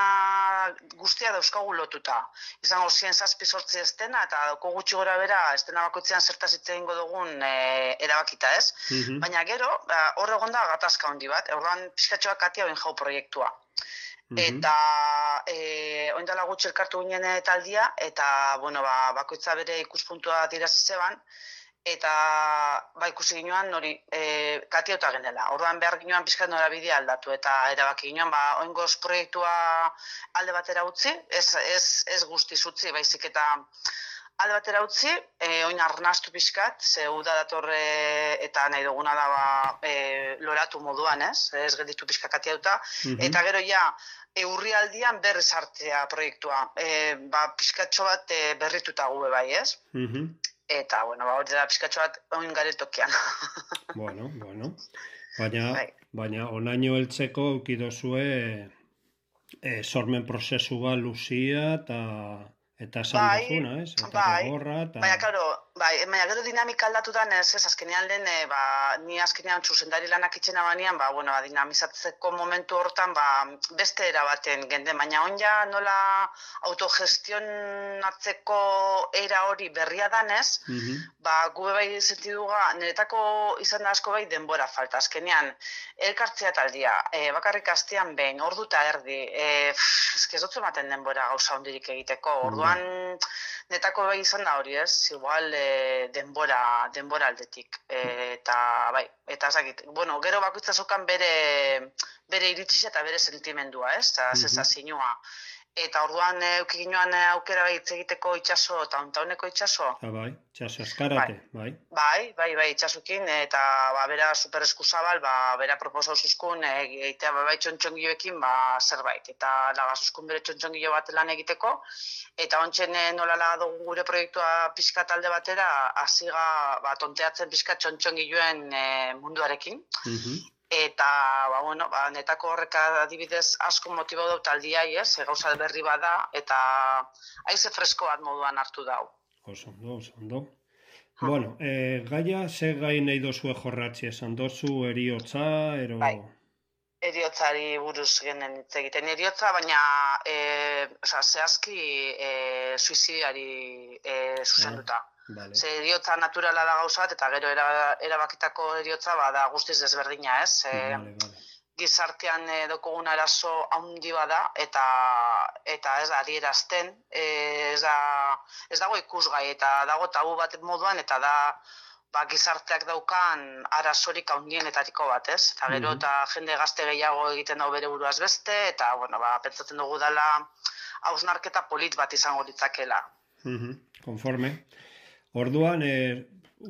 guztia dauzkagu lotuta. Izango zien zazpi sortzi ez dena, eta dauko gutxi gora bera, ez dena bakoitzean zertaz hitz egingo dugun e, erabakita, ez? Mhm. Baina gero, ba, hor egon da gatazka handi bat, orduan pizkatxoak katia oin jau proiektua. Mhm. Eta e, oin dela gutxi elkartu ginen taldia, eta bueno, ba, bakoitza bere ikuspuntua dirazi zeban, eta ba, ikusi ginoan hori e, katiauta genela. Orduan behar ginoan pizkat norabidea aldatu, eta erabaki ginoan ba, oingoz proiektua alde batera utzi, ez, ez, ez guztiz utzi, baizik eta alde batera utzi, e, oin arnastu pizkat, ze uda datorre eta nahi duguna da ba, e, loratu moduan, ez? Ez gelditu pizka katiauta, Mhm. eta gero ja, e, urrialdian berriz hartzea proiektua. E, ba, pizkatxo bat e, berrituta gube bai, ez? Mhm. Eta, bueno, ba, hori da pizkatxo bat oin garen tokian. Bueno, bueno. Baina, Bai. baina onaino heltzeko eukidozue e, sormen prozesu bat luzia eta eta esan Bai, duzuna, ez? Eta bai. gogorra, eta... Baina, klaro, bai, baina gero dinamika aldatu da, ez, ez, azkenean lehen, e, ba, ni azkenean zuzendari lanak itxena banean, ba, bueno, ba, dinamizatzeko momentu hortan, ba, beste erabaten genden, baina onja nola autogestionatzeko era hori berria danez, Mhm. ba, gube bai sentiduga, niretako izan da asko bai denbora falta, azkenean, elkartzea taldia, e, bakarrik astean behin, ordu eta erdi, e, pff, eske ez dut ematen denbora gauza hondirik egiteko, orduan, netako bai izan da hori, ez? Igual e, denbora, denbora aldetik. E, eta bai, eta ezakit, bueno, gero bakoitza zokan bere bere iritsia eta bere sentimendua, ez? Eta Mhm. sentsazioa. Eta orduan euki ginoan aukera bai hitz egiteko itsaso eta hontauneko itsaso. Ah, bai, txaso eskarate, bai. Bai, bai, bai, itxasukin, eta ba, bera super eskuzabal, ba, bera proposau zuzkun, egitea ba, bai txontxongiloekin, ba, zerbait, eta laga zuzkun bere txontxongilo bat lan egiteko, eta ontsen eh, nolala dugu gure proiektua pixka talde batera, hasiga ba, tonteatzen pixka txontxongiloen eh, munduarekin, Mhm. eta, ba, bueno, ba, netako horrek adibidez asko motibau dau taldiai, ez, e, gauza berri bada, eta haize fresko bat moduan hartu dau. Oso ondo, oso ondo. Bueno, eh, gaia, ze gai nahi dozue jorratzi esan dozu, eriotza, ero... Bai. Eriotzari buruz genen hitz egiten. Eriotza, baina e, oza, zehazki e, suizidiari e, zuzenduta. Vale. Ze eriotza naturala da gauza bat, eta gero era, erabakitako eriotza ba, da guztiz desberdina, ez? E, Vale, vale. gizartean e, dokogun arazo handi bada, eta eta ez da adierazten, e, ez, da, ez dago ikusgai, eta dago tabu bat moduan, eta da ba, gizarteak daukan arazorik handienetariko bat, ez? Eta gero, eta jende gazte gehiago egiten dago bere buruaz beste, eta, bueno, ba, pentsatzen dugu dela hausnarketa polit bat izango ditzakela. Konforme. Orduan, e,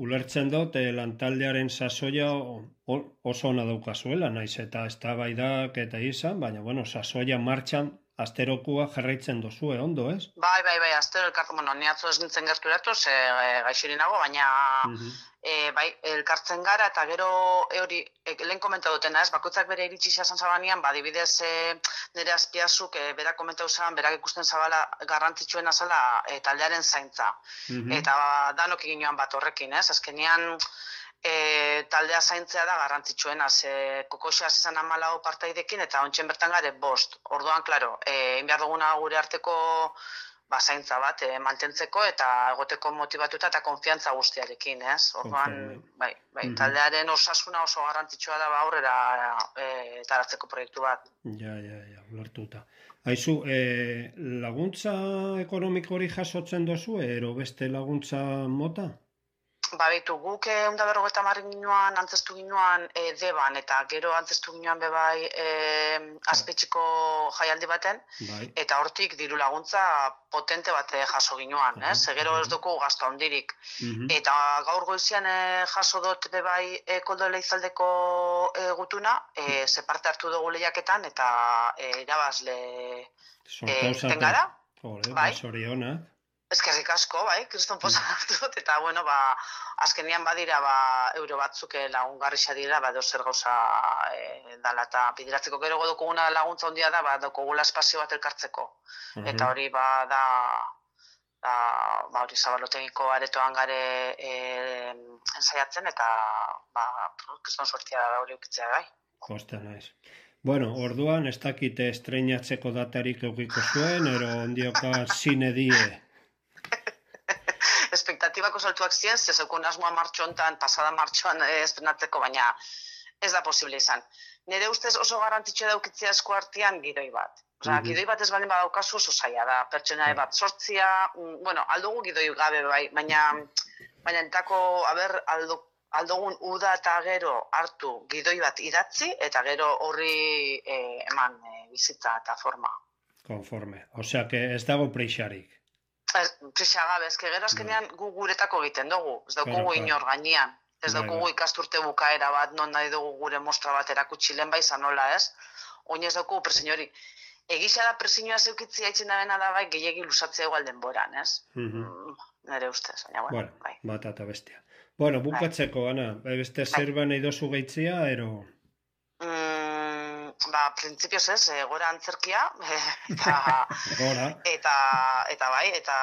ulertzen dut, e, lantaldearen sasoia oso ona daukazuela, naiz eta eztabaidak eta izan, baina, bueno, sasoia martxan asterokua jarraitzen dozue, ondo, ez? Bai, bai, bai, astero elkartzen, bueno, ni atzo ez nintzen gerturatu, ze e, gaixirinago, baina e, bai, elkartzen gara, eta gero e, hori, e, lehen komenta dutena, ez, bakoitzak bere iritsi izan zabanean, ba, dibidez e, nire azpiazuk, e, berak komentau zaban, berak ikusten zabala garrantzitsuena zala e, taldearen zaintza. Eta ba, danok egin bat horrekin, ez, azkenean, E, taldea zaintzea da garrantzitsuena, ze kokoxea izan hamalau partaidekin eta ontsen bertan gare bost. Orduan, klaro, egin behar duguna gure arteko ba, zaintza bat e, mantentzeko eta egoteko motibatuta eta konfiantza guztiarekin, ez? Orduan, bai, bai, taldearen osasuna oso garrantzitsua da ba, aurrera e, taratzeko proiektu bat. Ja, ja, ja, ulertuta. Aizu, e, laguntza ekonomiko hori jasotzen dozu, ero beste laguntza mota? Ba, behitu, guk ehun eta berrogeita hamar ginoan, antzestu ginoan e, deban, eta gero antzestu ginoan bebai e, azpetxiko jaialdi baten, bai. Eta hortik diru laguntza potente bat jaso ginoan, ez? Uh -huh. Gero ez dugu gazta hondirik. Uh -huh. Eta gaur goizian e, jaso dut bebai e, koldo leizaldeko e, gutuna, e, ze parte hartu dugu lehiaketan, eta e, irabazle e, tengara. Hore, bai. Basoriona. Eskerrik asko, bai, kriston posa hartu dut, eta, bueno, ba, azkenian badira, ba, euro batzuk lagungarrixa dira, ba, dozer gauza e, dala, eta bidiratzeko gero godokuguna laguntza hondia da, ba, dokugula espazio bat elkartzeko. Uh -huh. Eta hori, ba, da, da, ba, hori zabalotegiko aretoan gare e, ensaiatzen, eta, ba, kriston suertia da hori ukitzea, bai. Kosta naiz. Bueno, orduan, ez dakite estreinatzeko datarik eukiko zuen, ero ondioka zine die. Espektatibako saltuak ziren, ze zeukun asmoa martxontan, pasada martxoan estrenatzeko, baina ez da posible izan. Nire ustez oso garrantzitsua daukitzea esku artean gidoi bat. Osa, mm-hmm. Gidoi bat ez baldin badaukazu oso zaila da, pertsona bat sortzia, bueno, aldugu gidoi gabe bai, baina, baina entako, aber, aldo, aldugun uda eta gero hartu gidoi bat idatzi, eta gero horri eh, eman eh, bizitza eta forma. Konforme, osea, que ez dago preixarik. Prisa gabe, ezke gero azkenean gu guretako egiten dugu, ez daukugu inor gainean, ez daukugu ikasturte bukaera bat, non nahi dugu gure mostra bat erakutsi lehen bai zanola, ez? Oin ez daukugu presiño hori. Egisa da presiñoa zeukitzia itzen da bena da bai, gehiagi lusatzea igual denboran, ez? Nere ustez, baina bueno, bai. Bat eta bestia. Bueno, bukatzeko, Ana, beste zerba nahi dozu gaitzia, ero... Ba, printzipioz ez, e, gora antzerkia, eta, eta, eta bai, eta,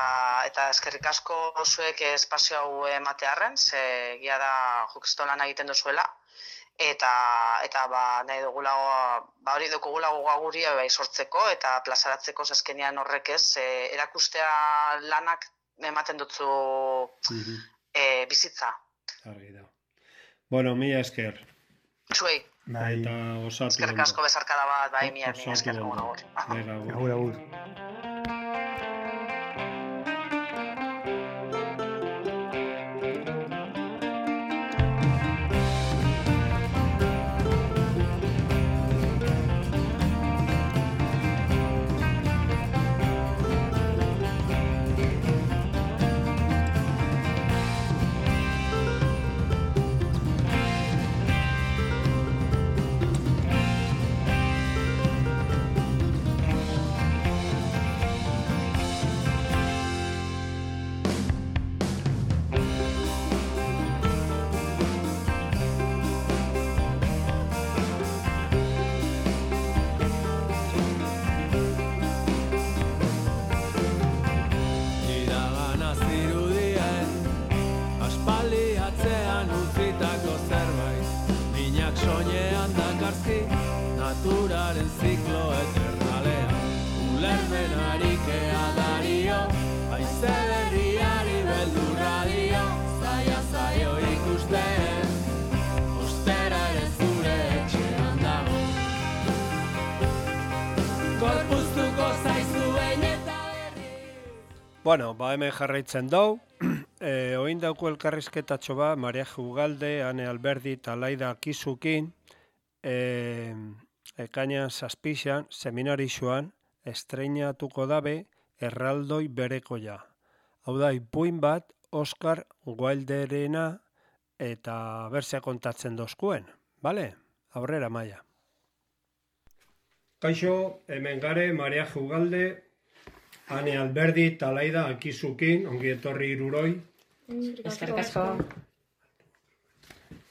eta eskerrik asko zuek espazio hau ematearren, ze gira da jukistolan egiten duzuela, eta, eta ba, nahi dugulago, ba hori dugulago gaguri bai sortzeko, eta plazaratzeko zazkenean horrek ez, e, erakustea lanak ematen dutzu mm-hmm. e, bizitza. Argi da. Bueno, mila esker. Zuei. Bai. Eta osatu. Eskerrik asko bezarkada bat, bai, mila, mila esker. Agur, agur. Naturaren ziklo eternalean ulermen arikea dario haize berriari beldurra dio zaila zaio ikusten ostera ere zure etxean dago gorpuztuko zaizuen eta Bueno, ba hemen jarraitzen dau. E, oin dauko elkarrizketatxo ba, Maria Jugalde, Ane Alberdi eta Laida Kizukin, e, ekainan zazpixan, seminarixoan, estreinatuko dabe erraldoi berekoia. Hau da, ipuin bat, Oscar Wilderena eta berzea kontatzen dozkuen, bale? Aurrera, Maia. Kaixo, hemen gare, Maria Jugalde, Ane Alberdi eta Laida Akizukin, ongi etorri iruroi. Eskerrik asko.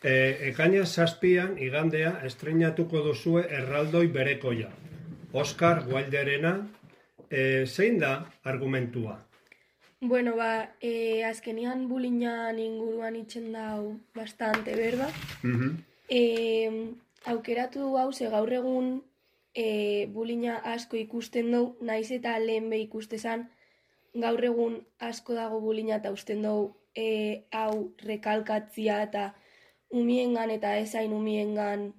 E, ekaina zazpian, igandea, estreinatuko duzue erraldoi berekoia. Oscar Wilderena, e, zein da argumentua? Bueno, ba, e, azkenian bulinan inguruan itxen dau bastante, berba? Uh-huh. E, aukeratu hau, ze gaur egun e, bulina asko ikusten dugu, naiz eta lehen be ikustezan, gaur egun asko dago bulina eta usten dugu e, hau rekalkatzia eta umiengan eta ezain umiengan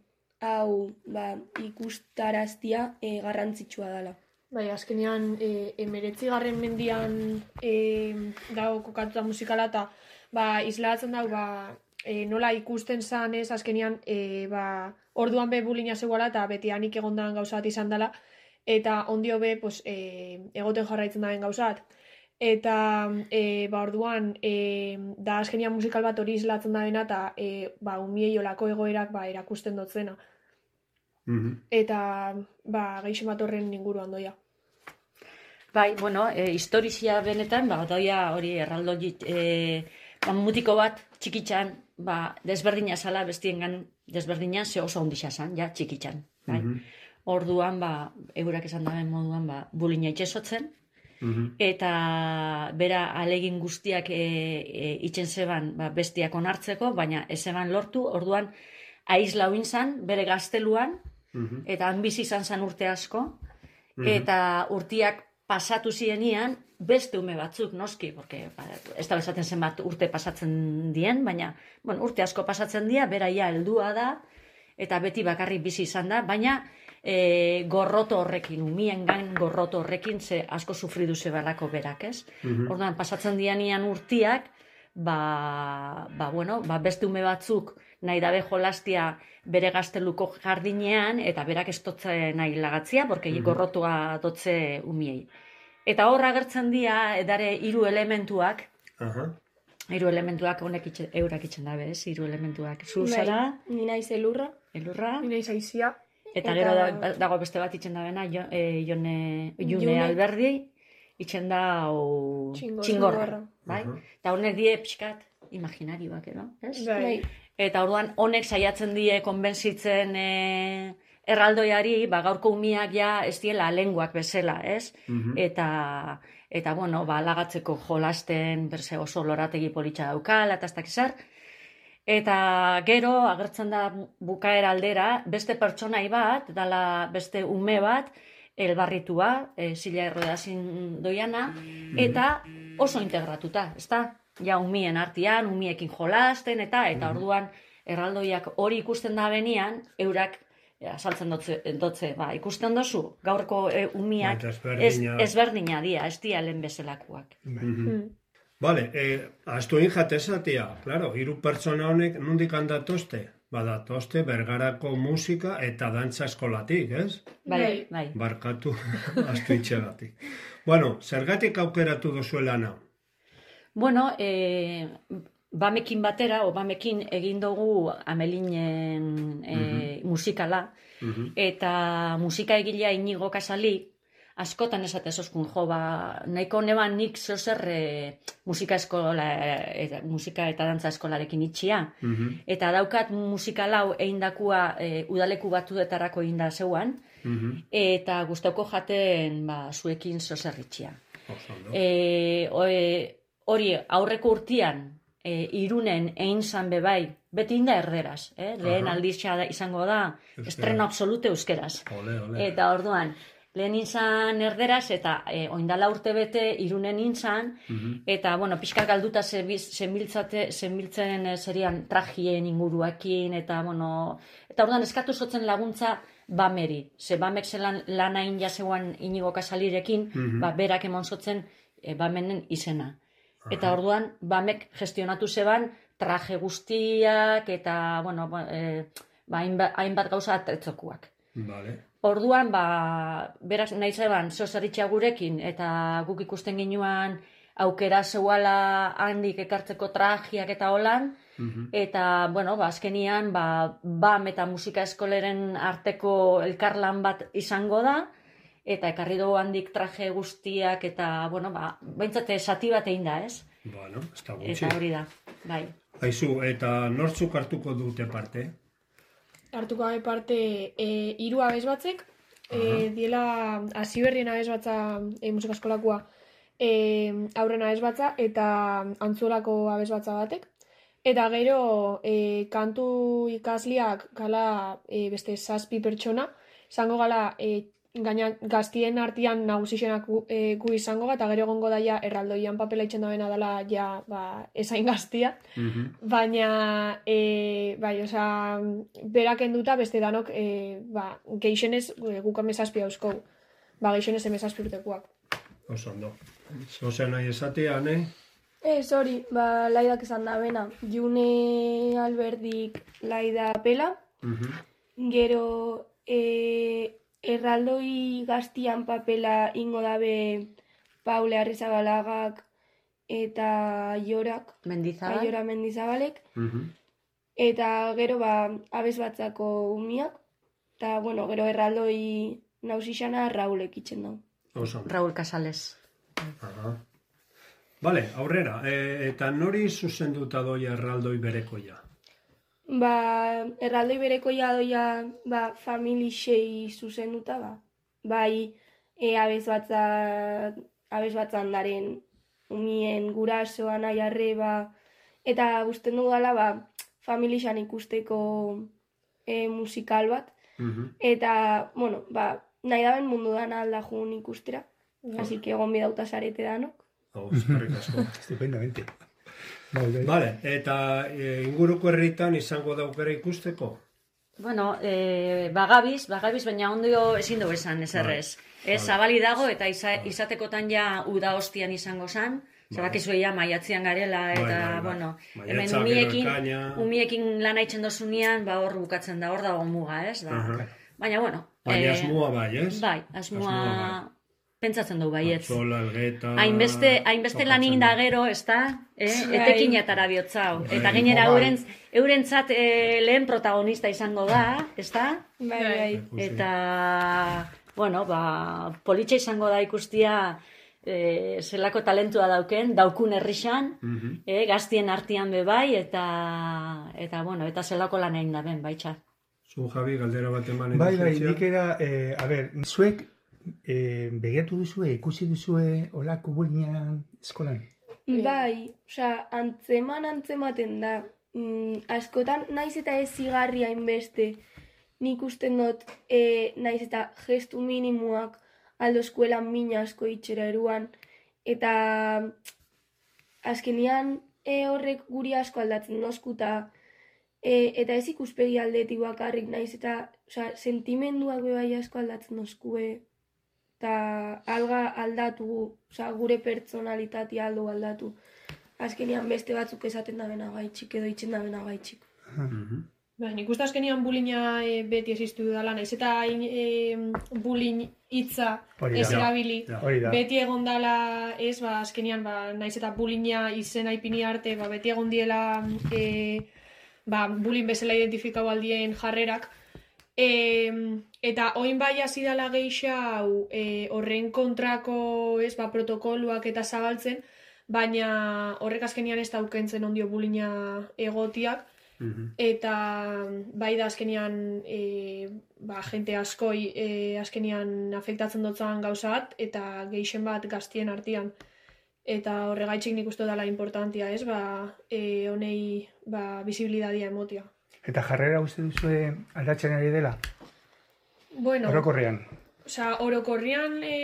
hau ba, ikustaraztia e, garrantzitsua dela. Bai, azkenean e, emeretzigarren mendian e, dago kokatuta musikala eta ba, islatzen dago ba, e, nola ikusten zan ez, azkenean e, ba, orduan be bulina zegoela eta beti hanik egondan gauzat izan dela eta ondio be pues, e, egoten jarraitzen daben gauzat. Eta e, ba, orduan e, da azkenean musikal bat hori islatzen dabena eta e, ba, umiei olako egoerak ba, erakusten dotzena. Mm-hmm. Eta ba, geixen bat horren inguruan doia. Bai, bueno, e, historizia benetan, ba, doia hori erraldo e, ba, mutiko bat txikitxan, ba, desberdina zala bestiengan desberdina ze oso ondisa zan, ja, txikitxan. Bai? Mm-hmm. Orduan, ba, eurak esan daben moduan, ba, bulina itxesotzen, mm-hmm. eta bera alegin guztiak e, e, itxen zeban ba, bestiak onartzeko, baina ez zeban lortu, orduan, aizlau inzan, bere gazteluan, mm-hmm. eta han bizi izan zan urte asko, mm-hmm. eta urtiak pasatu zienian, beste ume batzuk, noski, porque ba, ez da bezaten zenbat urte pasatzen dien, baina bueno, urte asko pasatzen dira, beraia heldua da, eta beti bakarrik bizi izan da, baina e, gorroto horrekin, umiengan gorroto horrekin, ze asko sufridu zebalako berak, ez? Mm-hmm. Orduan, pasatzen dianian urtiak, ba, ba, bueno, ba, beste ume batzuk nahi dabe jolastia bere gazteluko jardinean, eta berak ez dotze nahi lagatzia, porque mm-hmm. gorrotua dotze umiei. Eta hor agertzen dira, edare hiru elementuak, uh-huh. hiru elementuak honek itxe, eurak itxen dabe, ez? Hiru elementuak. Zu zara? Ni naiz elurra. Elurra. Ni naiz aizia. Eta, eta gero da, dago beste bat itxen dabena, jo, e, jone, june, june Alberdi, itxen da o, txingorra. Bai? Uh-huh. Eta honek die pixkat imaginarioak, edo? Ez? Bai. Eta orduan honek saiatzen die konbentzitzen e, erraldoiari, ba, gaurko umiak ja ez diela lenguak bezala, ez? Mm-hmm. Eta, eta, bueno, ba, lagatzeko jolasten, berze oso lorategi politxa daukala, eta ez dakizar. Eta gero, agertzen da bukaera aldera, beste pertsonai bat, dala beste ume bat, elbarritua, e, zila errodazin doiana, mm-hmm. eta oso integratuta, ez da? Ja, umien artean, umiekin jolasten, eta, eta orduan, erraldoiak hori ikusten da benian, eurak, saltzen dotze, dotze, ba, ikusten dozu, gaurko e, umiak ezberdina dia, ez dia lehen bezalakoak. Mm-hmm. Vale, eh, astu injat esatia, claro, hiru pertsona honek nondik handatozte? Badatozte bergarako musika eta dantza eskolatik, ez? Bai, bai. Barkatu, astu itxegatik. Bueno, zergatik aukeratu dozuelana? Bueno, eh, bamekin batera, o bamekin egin dugu Amelinen e, mm-hmm. musikala, mm-hmm. eta musika egilea Inigo Kasali, askotan esate zoskun, jo, ba, nahiko neban nik zozer e, musika eskola, e, musika eta dantza eskolarekin itxia, mm-hmm. eta daukat musikalau eindakua e, udaleku batuetarako inda zeuan, mm-hmm. eta gustauko jaten ba, zuekin zozer itxia. E, hori aurreko urtian, E, irunen egin zan bebai, beti inda erderaz, eh? Lehen uh-huh. aldizia izango da, Euskera. Estreno absolute euskeraz. Ole, ole. Eta orduan, lehen inzan erderaz, eta e, oindala urte bete irunen inzan, uh-huh. eta, bueno, pixka galduta zenbiltzen e, serian trajien inguruakin, eta, bueno, eta orduan eskatu zotzen laguntza bameri. Ze bamek zelan lan hain jaseguan Inigo Kasalirekin, Mhm. ba, berak emon zotzen e, bamenen izena. Eta orduan, bamek gestionatu zeban traje guztiak eta, bueno, ba, e, ba, hainbat, hainbat gauza atretzokuak. Vale. Orduan, ba, berak nahi zeban, zozaritxa gurekin, eta guk ikusten ginuan aukera zeuala handik ekartzeko trajiak eta holan, eta, bueno, ba, azkenian, ba, bam eta musika eskoleren arteko elkarlan bat izango da, eta ekarri dugu handik traje guztiak, eta, bueno, ba, behintzate sati bat egin da, ez? Bueno, ez da gutxi. Eta hori da, bai. Aizu, eta nortzuk hartuko dute parte? Hartuko gabe parte e, hiru abez batzek, e, diela hasi berrien abez batza e, musika eskolakua e, aurren abez batza eta antzolako abez batza batek. Eta gero e, kantu ikasliak gala e, beste zazpi pertsona, izango gala e, gaina gaztien artean nagusixenak gu, e, gu izango ga, eta gero egongo daia erraldoian papela itxen dabena dela ja ba, esain gaztia. Baina, e, bai, oza, berak enduta beste danok, e, ba, geixenez e, guk emezazpi hauzkou. Ba, geixenez emezazpi urtekuak. Oso ondo. Zozea nahi esatean, eh? Ez hori, ba, laidak esan da bena. June Alberdik laida pela, gero e, erraldoi gaztian papela ingo dabe Paule Arrizabalagak eta Jorak, Mendizabal. Jora Mendizabalek, eta gero ba, abez batzako umiak, eta bueno, gero erraldoi nausixana Raulek itxen dau. Oso ondo. Raúl Casales. Aha. Vale, aurrera, e, eta nori zuzenduta doia erraldoi berekoia? Ba, erraldoi berekoia doia ba, familixei zuzenduta, ba. Bai, e, abez batza, abez batzan daren umien gurasoa nahi arreba, eta usten dudala, ba, familixan ikusteko e, musikal bat, eta, bueno, ba, nahi daben mundu dana alda jun ikustera, así que egon bidauta zarete danok. Hau, eskerrik asko. Estupendamente. Vale, eta e, inguruko herritan izango da aukera ikusteko? Bueno, eh, bagabiz, bagabiz, baina ondio ezin dugu esan, ez errez. Ez, zabali dago, eta iza, izatekotan ja uda hostian izango zan, zabakizu ja maiatzian garela, eta, Bai, bai, bai. bueno, Maiatza, hemen gero umiekin, ekaina. umiekin lan haitzen dozunean, ba hor bukatzen da, hor dago muga, ez? Da. Aha. Baina, bueno. Baina eh, asmoa bai, ez? Bai, asmoa, Asmoa pentsatzen du baietz. Atzola, Elgeta... Hainbeste, hainbeste lan egin da gero, ez da? Eh? Bai. Etekinetara bihotzau. Bai. Eta gainera Bai. euren, eurentzat eh, lehen protagonista izango da, ez da? Bai, bai. Eta, bueno, ba, politxa izango da ikustia eh, zelako talentua dauken, daukun herrixan, eh, gaztien artean be bai, eta, eta, bueno, eta zelako lan egin da ben, baitxa. Zu, Javi, galdera bat eman Bai, bai, eduzentzia? nik era, eh, a ber, zuek eh, begiratu duzue, ikusi duzue olako bullinan eskolan? Bai, osea, antzeman antzematen da. Mm, askotan, naiz eta ez zigarri hainbeste, nik usten dut, e, naiz eta gestu minimuak aldo eskuelan mina asko itxera eruan, eta azkenian e, horrek guri asko aldatzen dozkuta, e, eta ez ikuspegi aldetik bakarrik, naiz eta osea, sentimenduak be bai asko aldatzen dozkue, eta alga aldatu, osea, gure pertsonalitatea aldo aldatu. Azkenian beste batzuk esaten da bena gaitxik edo itxen da bena gaitxik. Ba, nik uste azkenian bullyinga e, beti existu dela, naiz eta e, bullying hitza Hori da. ez erabili. Ja, hori da. Beti egon dela, ez, ba, azkenian, ba, naiz eta bullyinga izena ipini arte, ba, beti egon diela e, ba, bullying bezala identifikau aldien jarrerak. E, eta oin bai hasi dela geixau e, horren kontrako, ez, ba, protokoluak eta zabaltzen, baina horrek azkenian ez daukentzen ondio bullyinga egotiak, eta bai da azkenian e, ba, jente askoi e, azkenian afektatzen dotzan gauza bat, eta geixen bat gaztien artean. Eta horregaitxik nik uste dela importantia, ez, ba, e, honei ba, visibilidadia emotia. Eta jarrera uste duzue aldatzen ari dela? Bueno, Orokorrean. Osa, orokorrian e,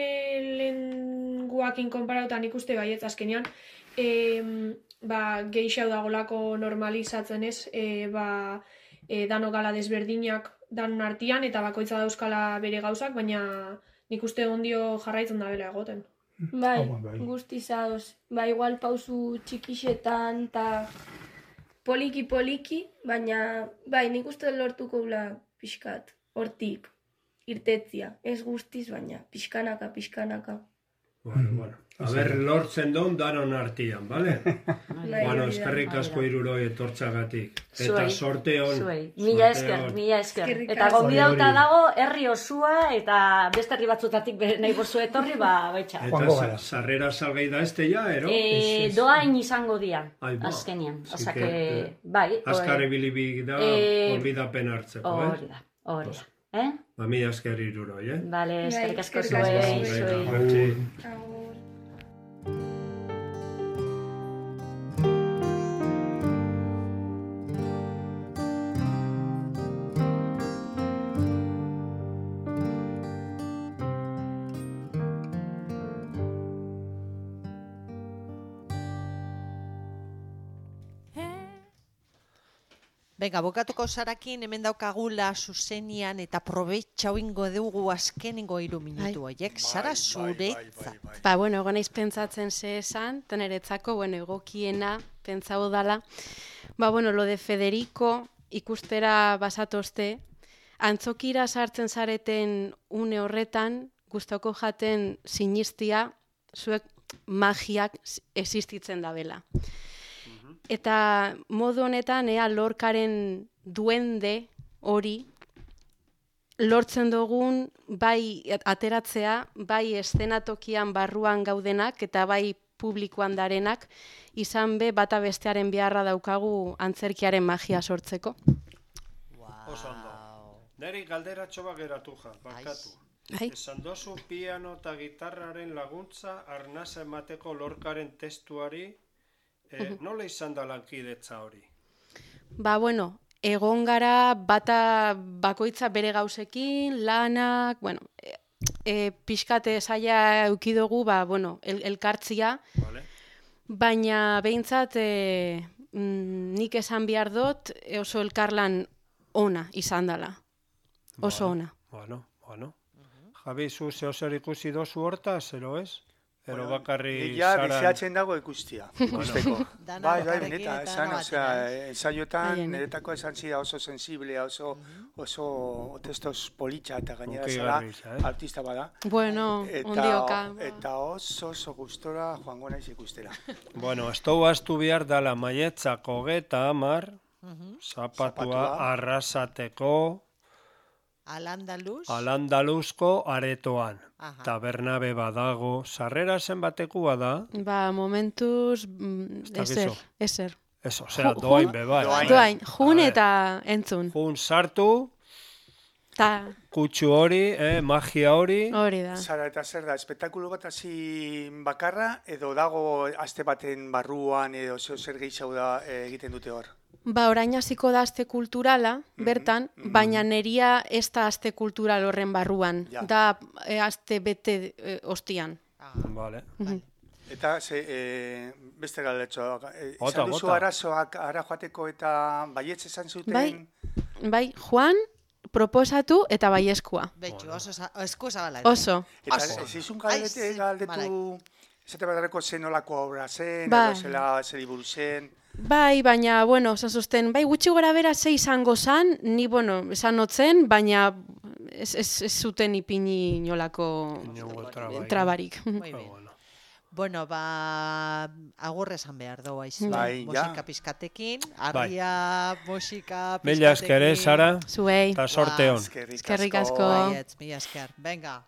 lehenguakin konparauta nik uste baietz azkenean, e, ba, geixau dagolako normalizatzen ez, e, ba, e, dano gala desberdinak, dan artian eta bakoitza dauzkala bere gauzak, baina nik uste ondio jarraitzen da bela egoten. Bai, guztiz ados. Ba, igual pausu txikixetan eta poliki-poliki, baina bai, nik uste lortuko gula pixkat, hortik, irtetzia. Ez guztiz, baina pixkanaka, pixkanaka. Bueno, bueno. A ber, lortzen duen danon artian, bale? Bueno, eskerrik asko iruroi etortzagatik. Eta sorte hon. Zuei, mila esker, mila esker. Eta gonbidauta dago herri osua eta beste herri batzutatik nahi bozu etorri, ba, baitxa. Eta sarrera salgai da este ya, ero? Doain izango dia, azkenian. Osa que, bai. Azkar ebilibik da, olbidapen hartzeko, eh? Hori da, hori da. Eh? Ba, mila esker iruroi, eh? Bale, eskerrik asko zuei. Venga, bukatuko zarakin hemen daukagula zuzenian eta probetxa ingo dugu azkenengo hiru minutu horiek. Zara zuretzat. Ba, bueno, ego naiz pentsatzen ze esan, teneretzako, bueno, egokiena pentsau dala. Ba, bueno, lo de Federico ikustera basatozte, antzokira sartzen zareten une horretan, gustoko jaten sinistia, zuek magiak existitzen da bela. Eta modu honetan, ea lorkaren duende hori, lortzen dugun bai ateratzea, bai eszenatokian barruan gaudenak, eta bai publikoan darenak, izan be bata bestearen beharra daukagu antzerkiaren magia sortzeko. Oso ondo. Neri galderatxo bat geratu ja, barkatu. Esan dozu piano eta gitarraren laguntza arnasa emateko lorkaren testuari, Eh, nola izan da lankidetza hori? Ba, bueno, egon gara bata bakoitza bere gauzekin, lanak, bueno, e, e, pixkate zaila eukidugu, ba, bueno, el, elkartzia, vale. Baina behintzat e, mm, nik esan behar dut oso elkarlan ona izan dela, oso ona. Bueno, bueno. Javi, zu zeo zer ikusi dozu horta, zero ez? Ero bakarri ja, saran... biziatzen dago ikustia, ikusteko. Bai, bai, beneta, esan, osea, ensaioetan, niretako esan zida oso sensiblea, oso, oso testos politxa eta gainera zara, artista bada. Bueno, ondioka. Eta oso, oso gustora joango naiz ikustera. Bueno, estou astu behar dala maietzako geta amar, zapatua arrasateko, Al-Andaluz? Al-Andaluzko aretoan. Tabernabe badago. Sarrera zenbatekua da? Ba, momentuz, eser, eser. Eso, zera, doain beba. Doain, jun eta entzun. Jun sartu, kutsu hori, magia hori. Hori da. Zara, eta zer da, espektakulo bat hasi bakarra, edo dago aste baten barruan, edo zer gehiago da egiten dute hor? Ba, orain hasiko da aste kulturala, bertan, mm-hmm. baina neria ez da aste kultural horren barruan, ja. Da e, aste bete e, ostian. Ah. Vale. Mm-hmm. Eta ze, e, beste galetxo, e, izan duzu arazoak ara joateko eta baietz esan zuten? Bai, bai, Juan proposatu eta baieskua. Betxu, oso esku zabala. Oso. Eta ez izun galdetu, galdetu, zete badareko zenolako obra zen, edo zela zeliburu zen. Bai, baina, bueno, zazuzten, bai, gutxi gora bera ze izango zan, ni, bueno, esan notzen, baina ez, ez, ez zuten ipini inolako trabarik. Bueno, ba, agurre esan behar doa izan. Bai, musika pizkatekin, argia, musika pizkatekin. Mila esker, Sara? Zuei. Eta sorte hon. Eskerrik asko. Mila esker, venga.